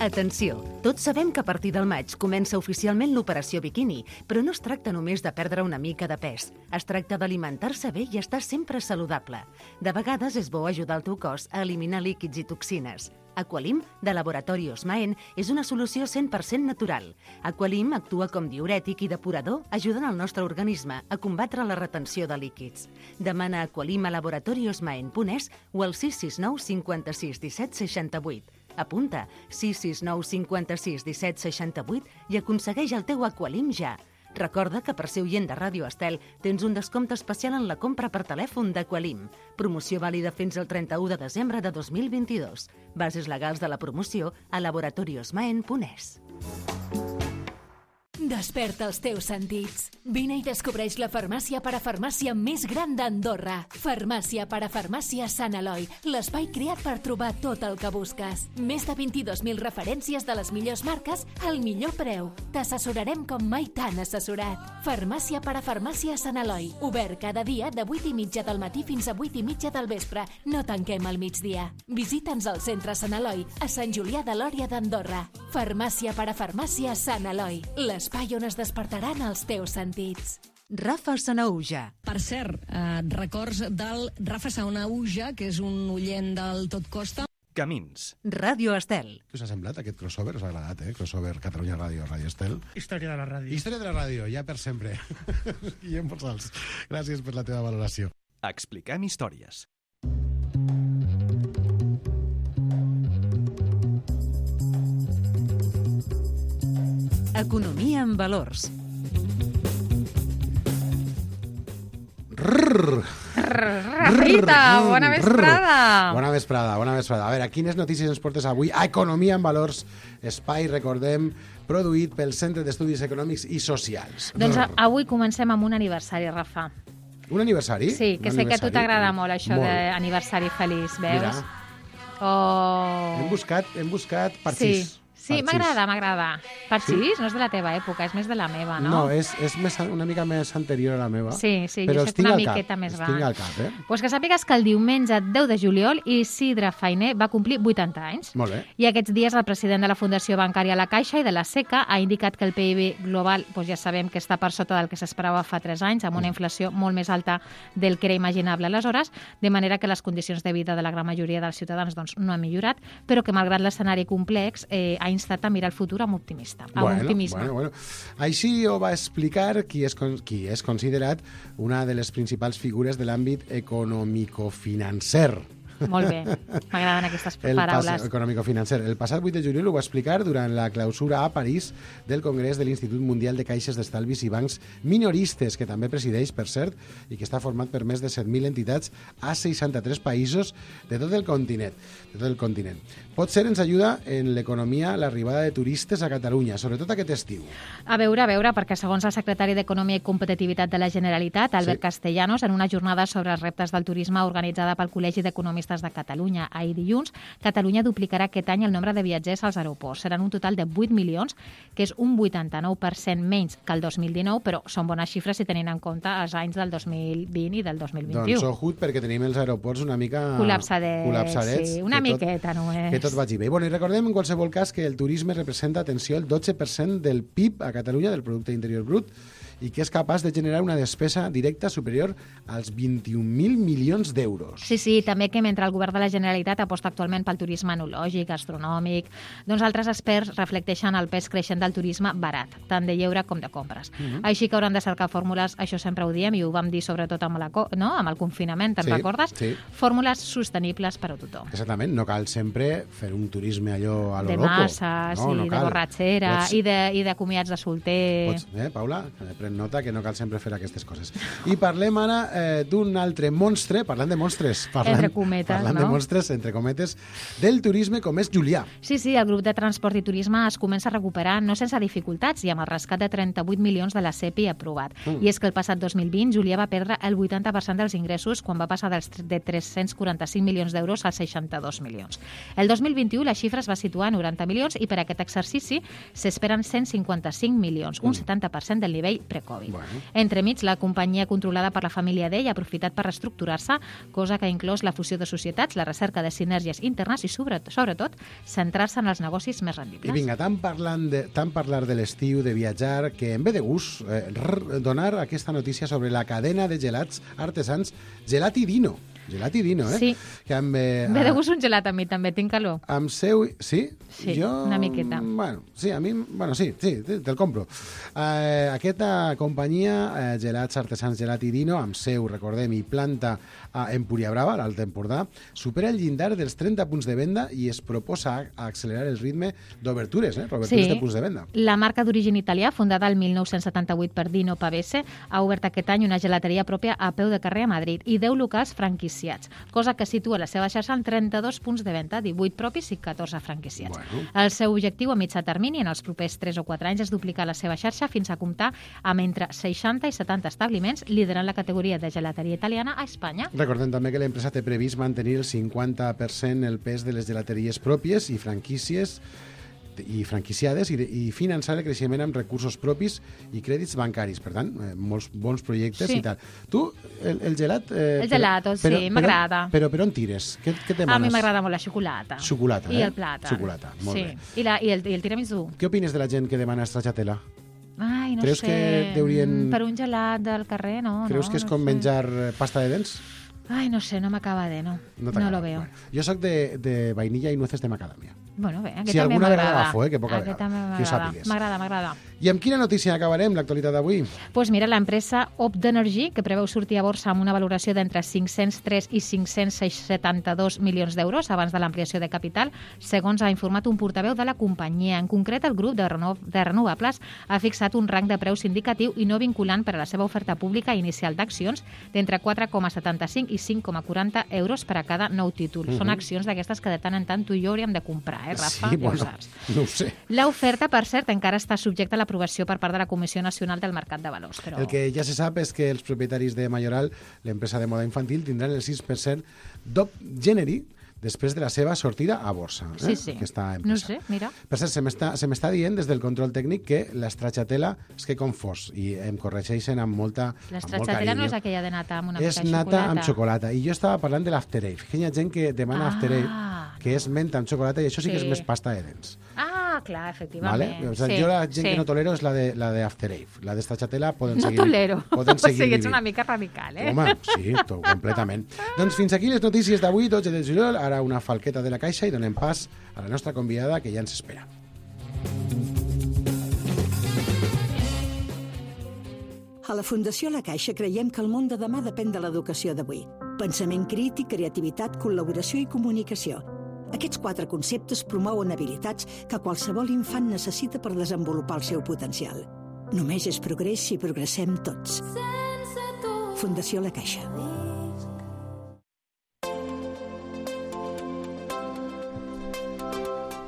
Atenció, tots sabem que a partir del maig comença oficialment l'operació biquini, però no es tracta només de perdre una mica de pes. Es tracta d'alimentar-se bé i estar sempre saludable. De vegades és bo ajudar el teu cos a eliminar líquids i toxines. Aqualim, de Laboratori Osmaen, és una solució cent per cent natural. Aqualim actua com diürètic i depurador, ajudant el nostre organisme a combatre la retenció de líquids. Demana Aqualim a laboratori osmaen punt es o al sis sis nou cinquanta-sis disset seixanta-vuit. Apunta sis sis nou cinquanta-sis disset seixanta-vuit i aconsegueix el teu Aqualim ja. Recorda que per ser oient de Ràdio Estel tens un descompte especial en la compra per telèfon d'Aqualim. Promoció vàlida fins al trenta-u de desembre de dos mil vint-i-dos. Bases legals de la promoció a laboratori osmaen punt es. Desperta els teus sentits. Vine i descobreix la farmàcia parafarmàcia més gran d'Andorra. Farmàcia parafarmàcia Sant Eloi, l'espai creat per trobar tot el que busques. Més de vint-i-dos mil referències de les millors marques al millor preu. T'assessorarem com mai t'han assessorat. Farmàcia parafarmàcia Sant Eloi, obert cada dia de vuit i mitja del matí fins a vuit i mitja del vespre. No tanquem al migdia. Visita'ns al centre Sant Eloi, a Sant Julià de Lòria d'Andorra. Farmàcia parafarmàcia Sant Eloi, l'espai on es despertaran els teus sentits. Rafa Sanauja. Per cert, eh, records del Rafa Sanauja, que és un oient del Tot Costa. Camins. Ràdio Estel. Què us ha semblat aquest crossover? Us ha agradat, eh? Crossover Catalunya Ràdio, Ràdio Estel. Història de la ràdio. Història de la ràdio, ja per sempre. Guillem Borsals, gràcies per la teva valoració. Expliquem històries. Economia en valors. Rrrr. Rafita, bona vesprada. Bona vesprada, bona vesprada. A veure, quines notícies ens portes avui a Economia en Valors, espai, recordem, produït pel Centre d'Estudis Econòmics i Socials. Doncs avui comencem amb un aniversari, Rafa. Un aniversari? Sí, que un sé que a tu t'agrada molt això molt. d'aniversari feliç, veus? Mira. Oh. Hem buscat, hem buscat parxís. Sí. Sí, m'agrada, m'agrada. Parxís sí? No és de la teva època, és més de la meva, no? No, és, és més, una mica més anterior a la meva. Sí, sí, però jo sé que una miqueta cap, més va. va. Tinc al cap, eh? Pues que sàpigues que el diumenge deu de juliol Isidre Fainé va complir vuitanta anys. Molt bé. I aquests dies el president de la Fundació Bancària La Caixa i de la SECA ha indicat que el P I B global pues ja sabem que està per sota del que s'esperava fa tres anys, amb una inflació molt més alta del que era imaginable aleshores, de manera que les condicions de vida de la gran majoria dels ciutadans doncs, no han millorat, però que malgrat l'escenari complex eh, ha instat a mirar el futur amb optimista, amb bueno, optimisme. Bueno, bueno. Així ho va explicar qui és, qui és considerat una de les principals figures de l'àmbit econòmico-financer. Molt bé, m'agraden aquestes el paraules. Econòmico-financer. El passat vuit de juliol ho va explicar durant la clausura a París del Congrés de l'Institut Mundial de Caixes d'Estalvis i Bancs Minoristes, que també presideix, per cert, i que està format per més de set mil entitats a seixanta-tres països de tot el continent. De tot el continent. Potser ens ajuda en l'economia l'arribada de turistes a Catalunya, sobretot aquest estiu. A veure, a veure, perquè segons el secretari d'Economia i Competitivitat de la Generalitat, Albert sí. Castellanos, en una jornada sobre els reptes del turisme organitzada pel Col·legi d'Economistes de Catalunya ahir dilluns, Catalunya duplicarà aquest any el nombre de viatgers als aeroports. Seran un total de vuit milions, que és un vuitanta-nou per cent menys que el dos mil dinou, però són bones xifres si tenint en compte els anys del dos mil vint i del dos mil vint-i-u. Doncs ojut, perquè tenim els aeroports una mica col·lapsadets, col·lapsadets sí, una tot, miqueta només. Que tot vagi bé. Bueno, i recordem en qualsevol cas que el turisme representa, atenció, el dotze per cent del P I B a Catalunya, del Producte Interior Brut, i que és capaç de generar una despesa directa superior als vint-i-un mil milions d'euros. Sí, sí, també que mentre el govern de la Generalitat aposta actualment pel turisme enològic, gastronòmic, doncs altres experts reflecteixen el pes creixent del turisme barat, tant de lleure com de compres. Uh-huh. Així que hauran de cercar fórmules, això sempre ho diem, i ho vam dir sobretot amb, la, no? amb el confinament, te'n sí, recordes? Sí. Fórmules sostenibles per a tothom. Exactament, no cal sempre fer un turisme allò a lo de loco. Masses, no, no i de borratxera, Pots... i, de, i de comiats de solter. Pots, eh, Paula? Pren nota que no cal sempre fer aquestes coses. I parlem ara eh, d'un altre monstre, parlant de monstres, parlant, entre cometes, parlant no? de monstres, entre cometes, del turisme com és Julià. Sí, sí, el grup de transport i turisme es comença a recuperar no sense dificultats i amb el rescat de trenta-vuit milions de la C E P I aprovat. Mm. I és que el passat dos mil vint Julià va perdre el vuitanta per cent dels ingressos quan va passar dels de tres-cents quaranta-cinc milions d'euros als seixanta-dos milions. El dos mil vint-i-u la xifra es va situar a noranta milions i per aquest exercici s'esperen cent cinquanta-cinc milions, un setanta per cent del nivell pre-Covid. Bueno. Entremig, la companyia controlada per la família Dell ha aprofitat per reestructurar-se, cosa que ha inclòs la fusió de societats, la recerca de sinergies internes i, sobretot, sobretot centrar-se en els negocis més rendibles. I vinga, tant, parlant de, tant parlar de l'estiu, de viatjar, que em ve de gust eh, donar aquesta notícia sobre la cadena de gelats artesans Gelati Dino. Gelati Dino, eh? Sí. Que amb, eh, Ve de gust un gelat a mi també, tinc calor. Amb seu... Sí? Sí, jo... una miqueta. Bueno, sí, a mi... Bueno, sí, sí, te'l compro. Eh, aquesta companyia, eh, Gelats Artesans Gelati Dino, amb seu, recordem, i planta a Empúria Brava, a l'Alt Empordà, supera el llindar dels trenta punts de venda i es proposa accelerar el ritme d'obertures, eh? Obertures sí. de punts de venda. La marca d'origen italià, fundada el mil nou-cents setanta-vuit per Dino Pavese, ha obert aquest any una gelateria pròpia a peu de carrer a Madrid i deu locals franquiciats, cosa que situa la seva xarxa en trenta-dos punts de venda, divuit propis i catorze franquiciats. Bueno. El seu objectiu a mitjà termini en els propers tres o quatre anys és duplicar la seva xarxa fins a comptar amb entre seixanta i setanta establiments, liderant la categoria de gelateria italiana a Espanya. Recordem també que l'empresa té previst mantenir el cinquanta per cent el pes de les gelateries pròpies i franquícies i franquiciades i, de, i finançar el creixement amb recursos propis i crèdits bancaris. Per tant, eh, molts bons projectes sí. i tal. Tu, el, el gelat... Eh, el gelato, però, sí, m'agrada. Però, però per on tires? Què, què demanes? A mi m'agrada molt la xocolata. Xocolata, I eh? el plàtan. Xocolata, molt sí. bé. I, la, i, el, I el tiramisú. Què opines de la gent que demana stracciatella? Ai, Ai, no Creus sé. que deurien... Per un gelat del carrer, no. Creus no, que és no com sé. menjar pasta de dents? Ai, no sé, no m'acaba de, no. No, No lo veo. Bueno, jo sóc de, de vainilla i nueces de macadamia. Bueno, bé, aquest Si també alguna vegada m'agrada. agafo, eh, que poca Aquest vegada, també que ho m'agrada. sàpigues. M'agrada, m'agrada. I amb quina notícia acabarem l'actualitat d'avui? Pues mira, l'empresa Opdenergy, que preveu sortir a borsa amb una valoració d'entre cinc-cents tres i cinc-cents setanta-dos milions d'euros abans de l'ampliació de capital, segons ha informat un portaveu de la companyia. En concret, el grup de, reno de renovables ha fixat un rang de preus indicatiu i no vinculant per a la seva oferta pública inicial d'accions d'entre quatre coma setanta-cinc i cinc coma quaranta euros per a cada nou títol. Uh -huh. Són accions d'aquestes que de tant en tant tu i jo hauríem de comprar, eh, Rafa? Sí, Ja bueno, ho saps. no ho sé. L'oferta, per cert, encara està subjecta a l'aprovació per part de la Comissió Nacional del Mercat de Valors. Però... El que ja se sap és que els propietaris de Mayoral, l'empresa de moda infantil, tindran el sis per cent d'Op Genery després de la seva sortida a borsa. Eh? Sí, sí. Aquesta empresa. No sé, mira. Per cert, se m'està se m'està dient des del control tècnic que l'estracciatella és que confós i em corregeixen amb molta amb molt L'estracciatella no és carinyo. aquella de nata amb una És mica de nata xocolata. amb xocolata. I jo estava parlant de l'After Eight. Que hi ha gent que demana Ah, After Eight, que és menta amb xocolata, i això sí, que Sí. és més pasta de dents. Ah, clar, efectivament. Vale? O sigui, sí, jo la gent sí. que no tolero és la de, la de After Eight. La d'estracciatella poden No seguir... tolero. Poden O seguir sigui, ets vivint. una mica radical, eh? Home, sí, tot, completament. Doncs fins aquí les notícies d'avui, dotze de juliol. Ara una falqueta de la caixa i donem pas a la nostra convidada, que ja ens espera. A la Fundació La Caixa creiem que el món de demà depèn de l'educació d'avui. Pensament crític, creativitat, col·laboració i comunicació. Aquests quatre conceptes promouen habilitats que qualsevol infant necessita per desenvolupar el seu potencial. Només és progrés si progressem tots. Fundació La Caixa.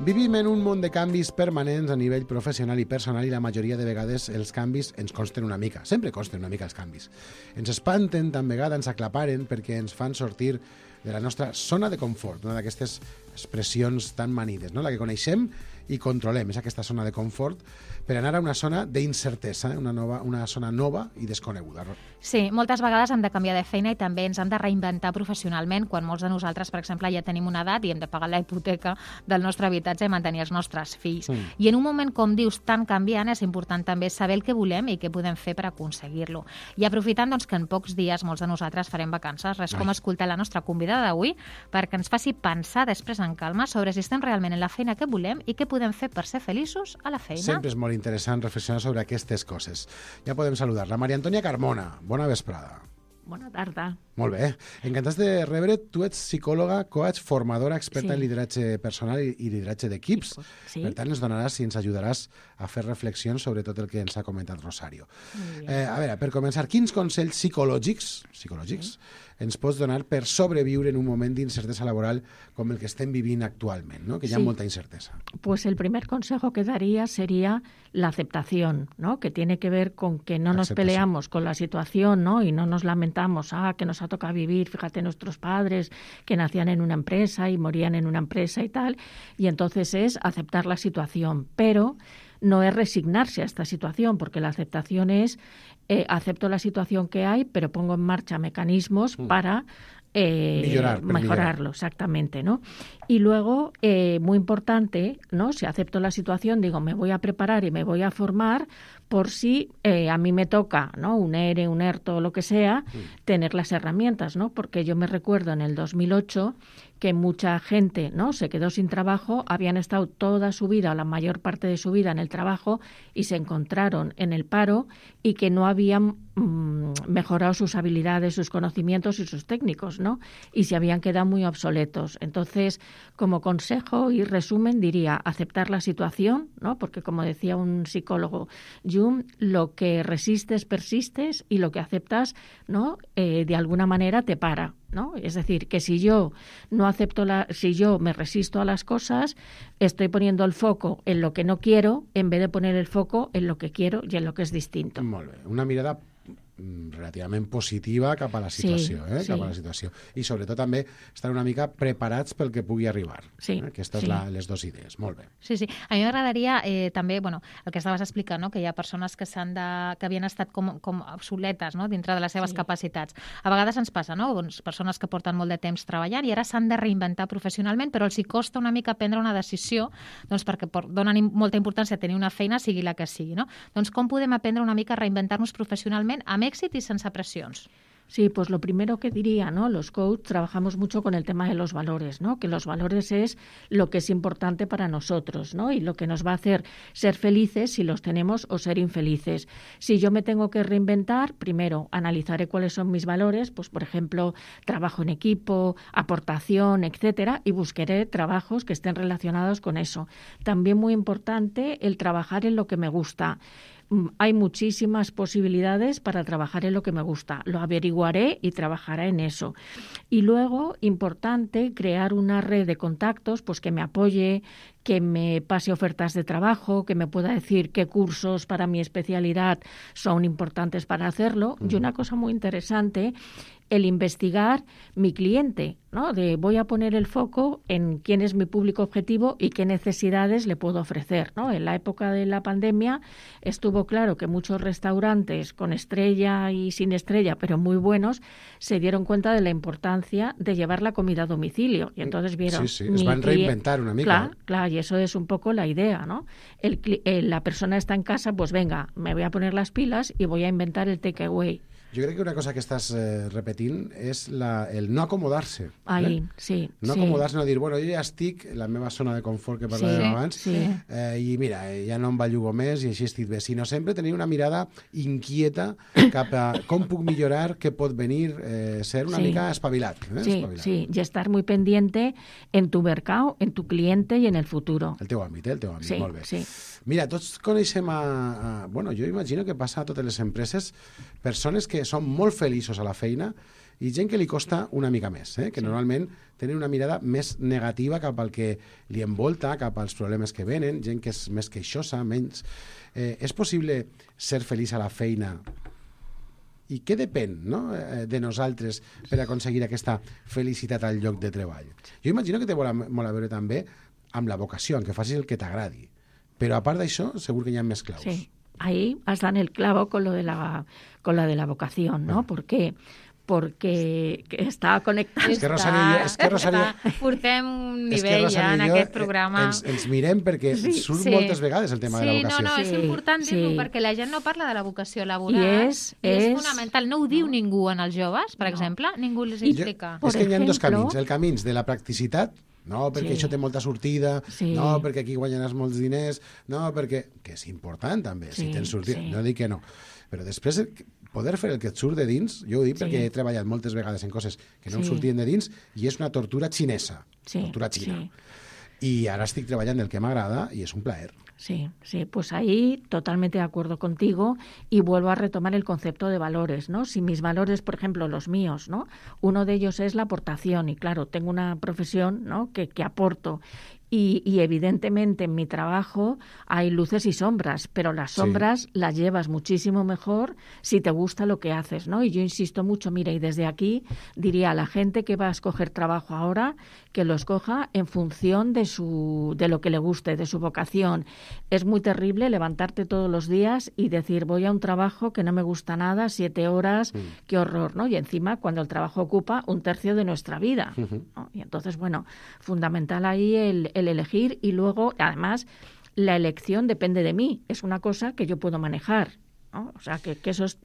Vivim en un món de canvis permanents a nivell professional i personal i la majoria de vegades els canvis ens consten una mica. Sempre consten una mica els canvis. Ens espanten, tan vegada ens aclaparen perquè ens fan sortir de la nostra zona de confort, una d'aquestes expressions tan manides, no? La que coneixem i controlem, és aquesta zona de confort, per anar a una zona d'incertesa, una, nova, una zona nova i desconeguda. Sí, moltes vegades hem de canviar de feina i també ens hem de reinventar professionalment quan molts de nosaltres, per exemple, ja tenim una edat i hem de pagar la hipoteca del nostre habitatge i mantenir els nostres fills. Mm. I en un moment, com dius, tan canviant, és important també saber el que volem i què podem fer per aconseguir-lo. I aprofitant doncs, que en pocs dies molts de nosaltres farem vacances, res com escoltar la nostra convidada d'avui perquè ens faci pensar després en calma sobre si estem realment en la feina que volem i què podem fer per ser feliços a la feina. Sempre és molt interessant reflexionar sobre aquestes coses. Ja podem saludar la Maria Antònia Carmona. Bona vesprada. Bona tarda. Molt bé. Encantats de rebre. Tu ets psicòloga, coach, formadora, experta Sí. en lideratge personal i, i lideratge d'equips. Sí. Per tant, ens donaràs i ens ajudaràs a fer reflexions sobre tot el que ens ha comentat Rosario. Eh, a veure, per començar, quins consells psicològics, psicològics sí. ens pots donar per sobreviure en un moment d'incertesa laboral com el que estem vivint actualment, ¿no? Que hi ha Sí. molta incertesa? Pues el primer consejo que daría sería la aceptación, ¿no? Que tiene que ver con que no nos Aceptación. peleamos con la situación, ¿no? Y no nos lamentamos, ah, que nos ha tocado vivir, fíjate, nuestros padres que nacían en una empresa y morían en una empresa y tal. Y entonces es aceptar la situación, pero no es resignarse a esta situación, porque la aceptación es eh, acepto la situación que hay, pero pongo en marcha mecanismos mm. para Eh, Millorar, mejorarlo, millorar. exactamente, ¿no? Y luego, eh, muy importante, ¿no? Si acepto la situación, digo, me voy a preparar y me voy a formar por si eh, a mí me toca, ¿no? Un E R E, un ERTO, lo que sea, mm. tener las herramientas, ¿no? Porque yo me recuerdo en el dos mil ocho que mucha gente, ¿no? Se quedó sin trabajo, habían estado toda su vida, o la mayor parte de su vida en el trabajo y se encontraron en el paro y que no habían mmm, mejorado sus habilidades, sus conocimientos y sus técnicos, ¿no? Y se habían quedado muy obsoletos. Entonces, como consejo y resumen, diría aceptar la situación, ¿no? Porque como decía un psicólogo, Jung, lo que resistes, persistes y lo que aceptas, ¿no? Eh, de alguna manera te para, ¿no? Es decir, que si yo no acepto la, si yo me resisto a las cosas, estoy poniendo el foco en lo que no quiero en vez de poner el foco en lo que quiero y en lo que es distinto. Molt bé. Una mirada relativament positiva cap a la situació, Sí, eh? sí. cap a la situació. I sobretot també estar una mica preparats pel que pugui arribar. Sí, Eh? Aquestes sí. la, les dues idees. Molt bé. Sí, sí. A mi m'agradaria eh, també, bueno, el que estaves explicant, no? Que hi ha persones que, s'han de, que havien estat com, com obsoletes, no? Dintre de les seves Sí. capacitats. A vegades ens passa, no? Doncs persones que porten molt de temps treballant i ara s'han de reinventar professionalment, però els hi costa una mica prendre una decisió doncs perquè por, donen im- molta importància a tenir una feina, sigui la que sigui, no? Doncs com podem aprendre una mica a reinventar-nos professionalment amb èxit y sin presiones? Sí, pues lo primero que diría, ¿no? Los coaches trabajamos mucho con el tema de los valores, ¿no? Que los valores es lo que es importante para nosotros, ¿no? Y lo que nos va a hacer ser felices si los tenemos o ser infelices. Si yo me tengo que reinventar, primero analizaré cuáles son mis valores, pues por ejemplo, trabajo en equipo, aportación, etcétera, y buscaré trabajos que estén relacionados con eso. También muy importante el trabajar en lo que me gusta. Hay muchísimas posibilidades para trabajar en lo que me gusta. Lo averiguaré y trabajaré en eso. Y luego, importante, crear una red de contactos pues que me apoye, que me pase ofertas de trabajo, que me pueda decir qué cursos para mi especialidad son importantes para hacerlo. Y una cosa muy interesante, el investigar mi cliente, ¿no? De voy a poner el foco en quién es mi público objetivo y qué necesidades le puedo ofrecer, ¿no? En la época de la pandemia estuvo claro que muchos restaurantes con estrella y sin estrella, pero muy buenos, se dieron cuenta de la importancia de llevar la comida a domicilio. Y entonces vieron... Sí, sí, es van reinventar una mica. Claro, claro, y eso es un poco la idea, ¿no? El, el, la persona está en casa, pues venga, me voy a poner las pilas y voy a inventar el takeaway. Jo crec que una cosa que estàs eh, repetint és la, el no acomodar-se. Ahí, eh? sí. No sí. acomodar-se, no dir, bueno, jo ja estic en la meva zona de confort que parlàvem sí, abans, sí. eh, i mira, ja no em bellugo més i així estic bé, sinó sempre tenir una mirada inquieta cap a com puc millorar, què pot venir, eh, ser una sí. mica espavilat. Eh? Sí, espavilat. sí, y estar muy pendiente en tu mercado, en tu cliente y en el futuro. El teu àmbit, eh? el teu àmbit, Sí, molt bé. sí. Mira, tots coneixem a, a... Bueno, jo imagino que passa a totes les empreses persones que són molt feliços a la feina i gent que li costa una mica més, eh? que sí. normalment tenen una mirada més negativa cap al que li envolta, cap als problemes que venen, gent que és més queixosa, menys... Eh, és possible ser feliç a la feina i què depèn, no? eh, de nosaltres per aconseguir aquesta felicitat al lloc de treball? Jo imagino que té molt a, molt a veure també amb la vocació, en que facis el que t'agradi. Però a part d'això, segur que hi ha més claus. Sí, ahí has dado el clavo con lo de la, con la de la vocación, ¿no? ¿Por qué? Porque està connectat. És que Rosario i jo... És que Rosario... Portem un és que nivell Rosario ja en i jo, aquest programa. Ens, ens mirem perquè Sí, surt sí. moltes vegades el tema sí, de la vocació. Sí, no, no, és Sí, important dir-ho sí. perquè la gent no parla de la vocació laboral. I és- i és, és- fonamental. No ho diu ningú en els joves, per No. exemple. Ningú els I- explica. És que hi ha dos ejemplo- camins. El camí de la practicitat, no, perquè Sí. això té molta sortida, Sí. no, perquè aquí guanyaràs molts diners, no, perquè... Que és important, també, si Sí, tens sortida. sí. No dic que no. Però després, poder fer el que et surt de dins, jo ho dic Sí. perquè he treballat moltes vegades en coses que no em Sí. sortien de dins, i és una tortura xinesa, Sí, tortura xina. sí. I ara estic treballant el que m'agrada i és un plaer. Sí, sí, pues ahí totalmente de acuerdo contigo y vuelvo a retomar el concepto de valores, ¿no? Si mis valores, por ejemplo, los míos, ¿no? Uno de ellos es la aportación y claro, tengo una profesión, ¿no? que, que aporto y, y evidentemente en mi trabajo hay luces y sombras, pero las Sí. sombras las llevas muchísimo mejor si te gusta lo que haces, ¿no? Y yo insisto mucho, mira, y desde aquí diría a la gente que va a escoger trabajo ahora que lo escoja en función de su de lo que le guste, de su vocación. Es muy terrible levantarte todos los días y decir voy a un trabajo que no me gusta nada, siete horas, Mm. qué horror, ¿no? Y encima cuando el trabajo ocupa un tercio de nuestra vida, Ujú. ¿no? Y entonces, bueno, fundamental ahí el, el elegir y luego, además, la elección depende de mí. Es una cosa que yo puedo manejar, ¿no? O sea, que, que eso es...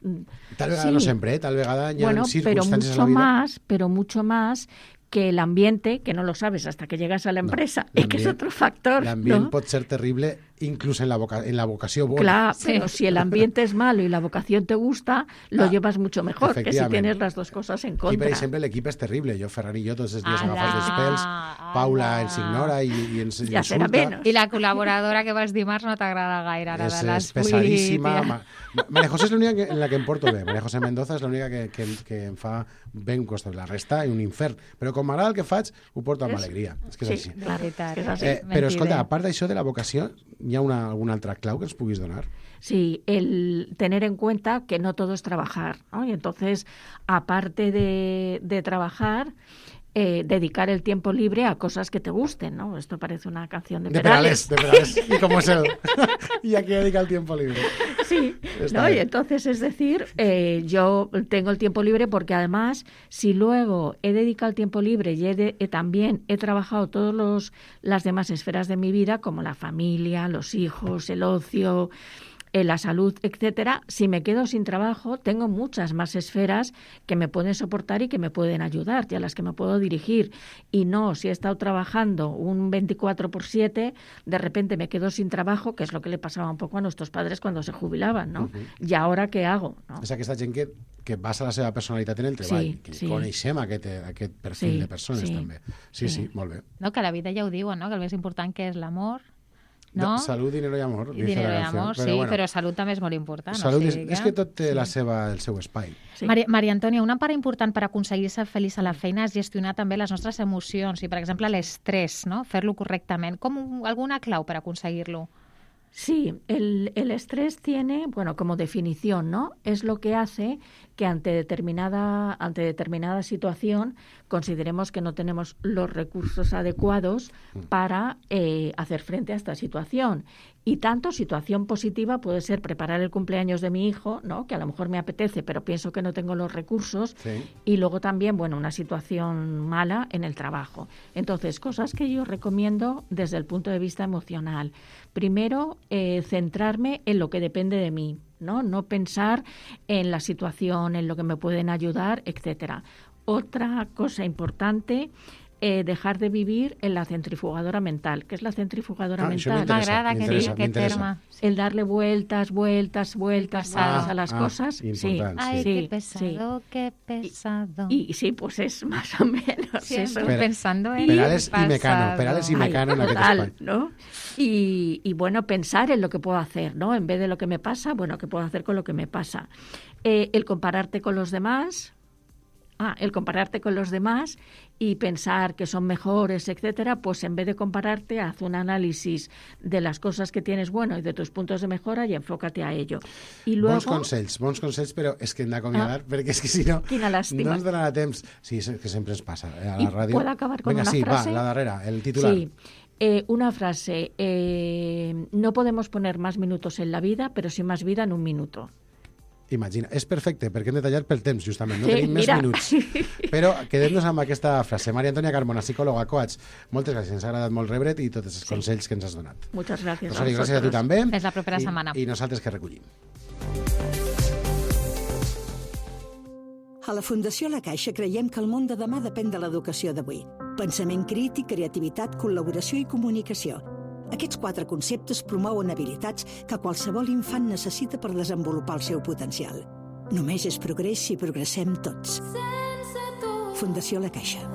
Tal vegada sí. no sempre, eh? Tal vegada hi ha Bueno, pero circumstàncies a la mucho vida... más, pero mucho más que el ambiente, que no lo sabes hasta que llegas a la empresa, No, y que es l'ambient- otro factor, L'ambient ¿no? pot ser terrible inclús en la, voca en la vocació bona. Claro, Sí. pero si el ambiente es malo y la vocación te gusta, lo Ah, llevas mucho mejor que si efectivament. tienes las dos cosas en I, per contra. exemple, l'equip és terrible. Jo, Ferran i jo, tots els dies Ala, agafats dels pèls. Paula ala. ens ignora i, i ens Ja serà insulta. menos. I la col·laboradora que vas dimarts no t'agrada gaire, ara És, de les és pesadíssima. vuit. Ma, Ma- Maria José és l'única que- en la que em porto bé. Maria José Mendoza és l'única que, que, que em fa ben costat. La resta és un infern. Però com m'agrada el que faig, ho porto amb És- alegria. És que és Sí, així. claro, veritat. és així. Eh, però, escolta, Mentider. a part d'això de la vocació, hi ha una, alguna altra clau que ens puguis donar? Sí, el tener en cuenta que no todo es trabajar, ¿no? Y entonces, aparte de, de trabajar, eh, dedicar el tiempo libre a cosas que te gusten, ¿no? Esto parece una canción de, de Perales. De Perales, de Perales. ¿Y cómo es él? ¿Y a qué dedica el tiempo libre? Sí, ¿no? Y entonces, es decir, eh, yo tengo el tiempo libre porque además, si luego he dedicado el tiempo libre y he de, he también he trabajado todas los, las demás esferas de mi vida, como la familia, los hijos, el ocio, la salud, etcétera, si me quedo sin trabajo, tengo muchas más esferas que me pueden soportar y que me pueden ayudar y a las que me puedo dirigir. Y no, si he estado trabajando un veinticuatro por siete, de repente me quedo sin trabajo, que es lo que le pasaba un poco a nuestros padres cuando se jubilaven, no? Uh-huh. ¿Y ahora què hago? No? És aquesta gent que, que basa la seva personalitat en el treball, sí, que sí. coneixem aquest, aquest perfil sí, de persones, sí, també. Sí, sí, sí, molt bé. No, que la vida ja ho diuen, no? Que el més important que és l'amor, no? Salud, dinero i amor. I dinero i amor, però sí, bueno, però salut també és molt important. Salut, o sigui, que... és que tot té sí. la seva, el seu espai. Sí. Maria, Maria Antònia, una part important per aconseguir ser feliç a la feina és gestionar també les nostres emocions i, per exemple, l'estrès, no? Fer-lo correctament. Com un, alguna clau per aconseguir-lo? Sí, el, el estrés tiene, bueno, como definición, ¿no? Es lo que hace que ante determinada, ante determinada situación consideremos que no tenemos los recursos adecuados para eh, hacer frente a esta situación. Y tanto situación positiva puede ser preparar el cumpleaños de mi hijo, ¿no? Que a lo mejor me apetece, pero pienso que no tengo los recursos. Sí. Y luego también, bueno, una situación mala en el trabajo. Entonces, cosas que yo recomiendo desde el punto de vista emocional. Primero, eh, centrarme en lo que depende de mí, ¿no? No pensar en la situación, en lo que me pueden ayudar, etcétera. Otra cosa importante, eh, dejar de vivir en la centrifugadora mental. ¿Qué es la centrifugadora ah, mental? M'agrada aquest, aquest terme. El darle vueltas, vueltas, vueltas ah, a las ah, cosas. Sí. Ay, sí, qué pesado, sí. qué pesado. Y, y sí, pues es más o menos Siempre eso. pensando en Perales el y Mecano, Perales y Mecano en aquest total, espai. ¿no? Y, y bueno, pensar en lo que puedo hacer, ¿no? En vez de lo que me pasa, bueno, ¿qué puedo hacer con lo que me pasa? Eh, el compararte con los demás... Ah, el compararte con los demás y pensar que son mejores, etcétera, pues en vez de compararte, haz un análisis de las cosas que tienes bueno y de tus puntos de mejora y enfócate a ello. I luego... Bons consells, bons consells, però és que hem d'acomiadar, ah, perquè és que si no, no ens donarà temps. Sí, és que sempre ens passa eh, a la ràdio. ¿Puedo acabar con Venga, una sí, frase? va, la darrera, el titular. Sí. Eh, una frase, eh, no podemos poner más minutos en la vida, pero sí más vida en un minuto. Imagina, és perfecte, perquè hem de tallar pel temps, justament, no sí, tenim mira. més minuts. Però quedem-nos amb aquesta frase. Maria Antònia Carmona, psicòloga, coach, moltes gràcies, ens ha agradat molt rebre't i tots els sí. consells que ens has donat. Moltes gràcies. Rosario, gràcies a tu també. Fins la propera I, setmana. I nosaltres que recollim. A la Fundació La Caixa creiem que el món de demà depèn de l'educació d'avui. Pensament crític, creativitat, col·laboració i comunicació. Aquests quatre conceptes promouen habilitats que qualsevol infant necessita per desenvolupar el seu potencial. Només és progrés si progressem tots. Fundació La Caixa.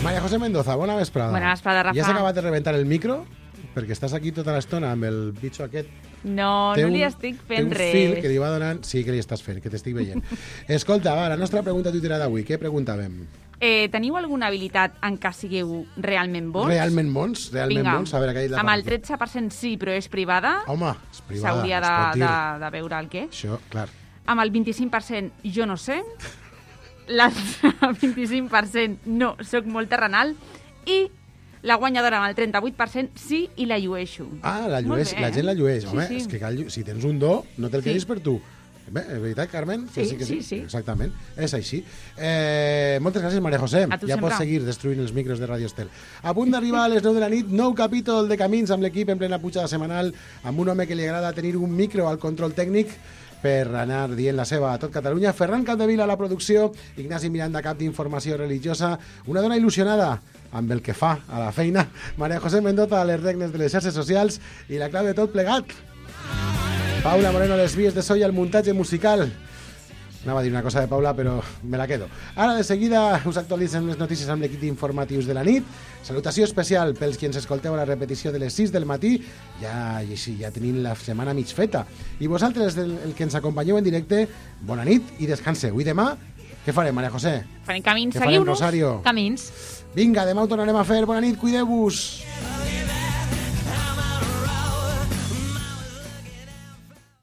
María José Mendoza, bona vesprada. Bona vesprada, Rafa. Ja s'ha acabat de rebentar el micro? Perquè estàs aquí tota l'estona amb el bitxo aquest. No, té no un, li estic fent res. Té un fil que li va donant... Sí que li estàs fent, que t'estic veient. Escolta, va, la nostra pregunta tuiterada d'avui. Què preguntàvem? Eh, teniu alguna habilitat en què sigueu realment bons? Realment bons? Realment Vinga, bons? A veure, aquell amb el tretze per cent sí, però és privada. Home, és privada. S'hauria de, de, de veure el què. Això, clar. Amb el vint-i-cinc per cent jo no sé. L'altre vint-i-cinc per cent no, soc molt terrenal. I la guanyadora amb el trenta-vuit per cent sí i la llueixo. Ah, la, llueix, bé, la gent la llueix. Home, sí, sí. És que cal, si tens un do, no te'l quedis sí. per tu. Bé, és veritat, Carmen? Sí, sí, que sí, sí, sí. Exactament, és així. Eh, moltes gràcies, Maria José. A tu ja sempre. pots seguir destruint els micros de Radio Estel. A punt d'arribar a les nou de la nit, nou capítol de Camins amb l'equip en plena pujada setmanal, amb un home que li agrada tenir un micro al control tècnic per anar dient la seva a tot Catalunya. Ferran Capdevila a la producció, Ignasi Miranda, cap d'informació religiosa, una dona il·lusionada amb el que fa a la feina, Maria José Mendoza a les regnes de les xarxes socials i la clau de tot plegat, Paula Moreno a les vies de so i al muntatge musical. Anava a dir una cosa de Paula, però me la quedo. Ara, de seguida, us actualitzen les notícies amb l'equip informatius de la nit. Salutació especial pels qui ens escolteu a la repetició de les sis del matí. Ja, i sí, ja tenim la setmana mig feta. I vosaltres, el, el que ens acompanyeu en directe, bona nit i descanseu. I demà Què farem, Maria José? Farem camins, Què farem, seguiu-nos. Rosario? Camins. Vinga, demà ho tornarem a fer. Bona nit, cuideu-vos.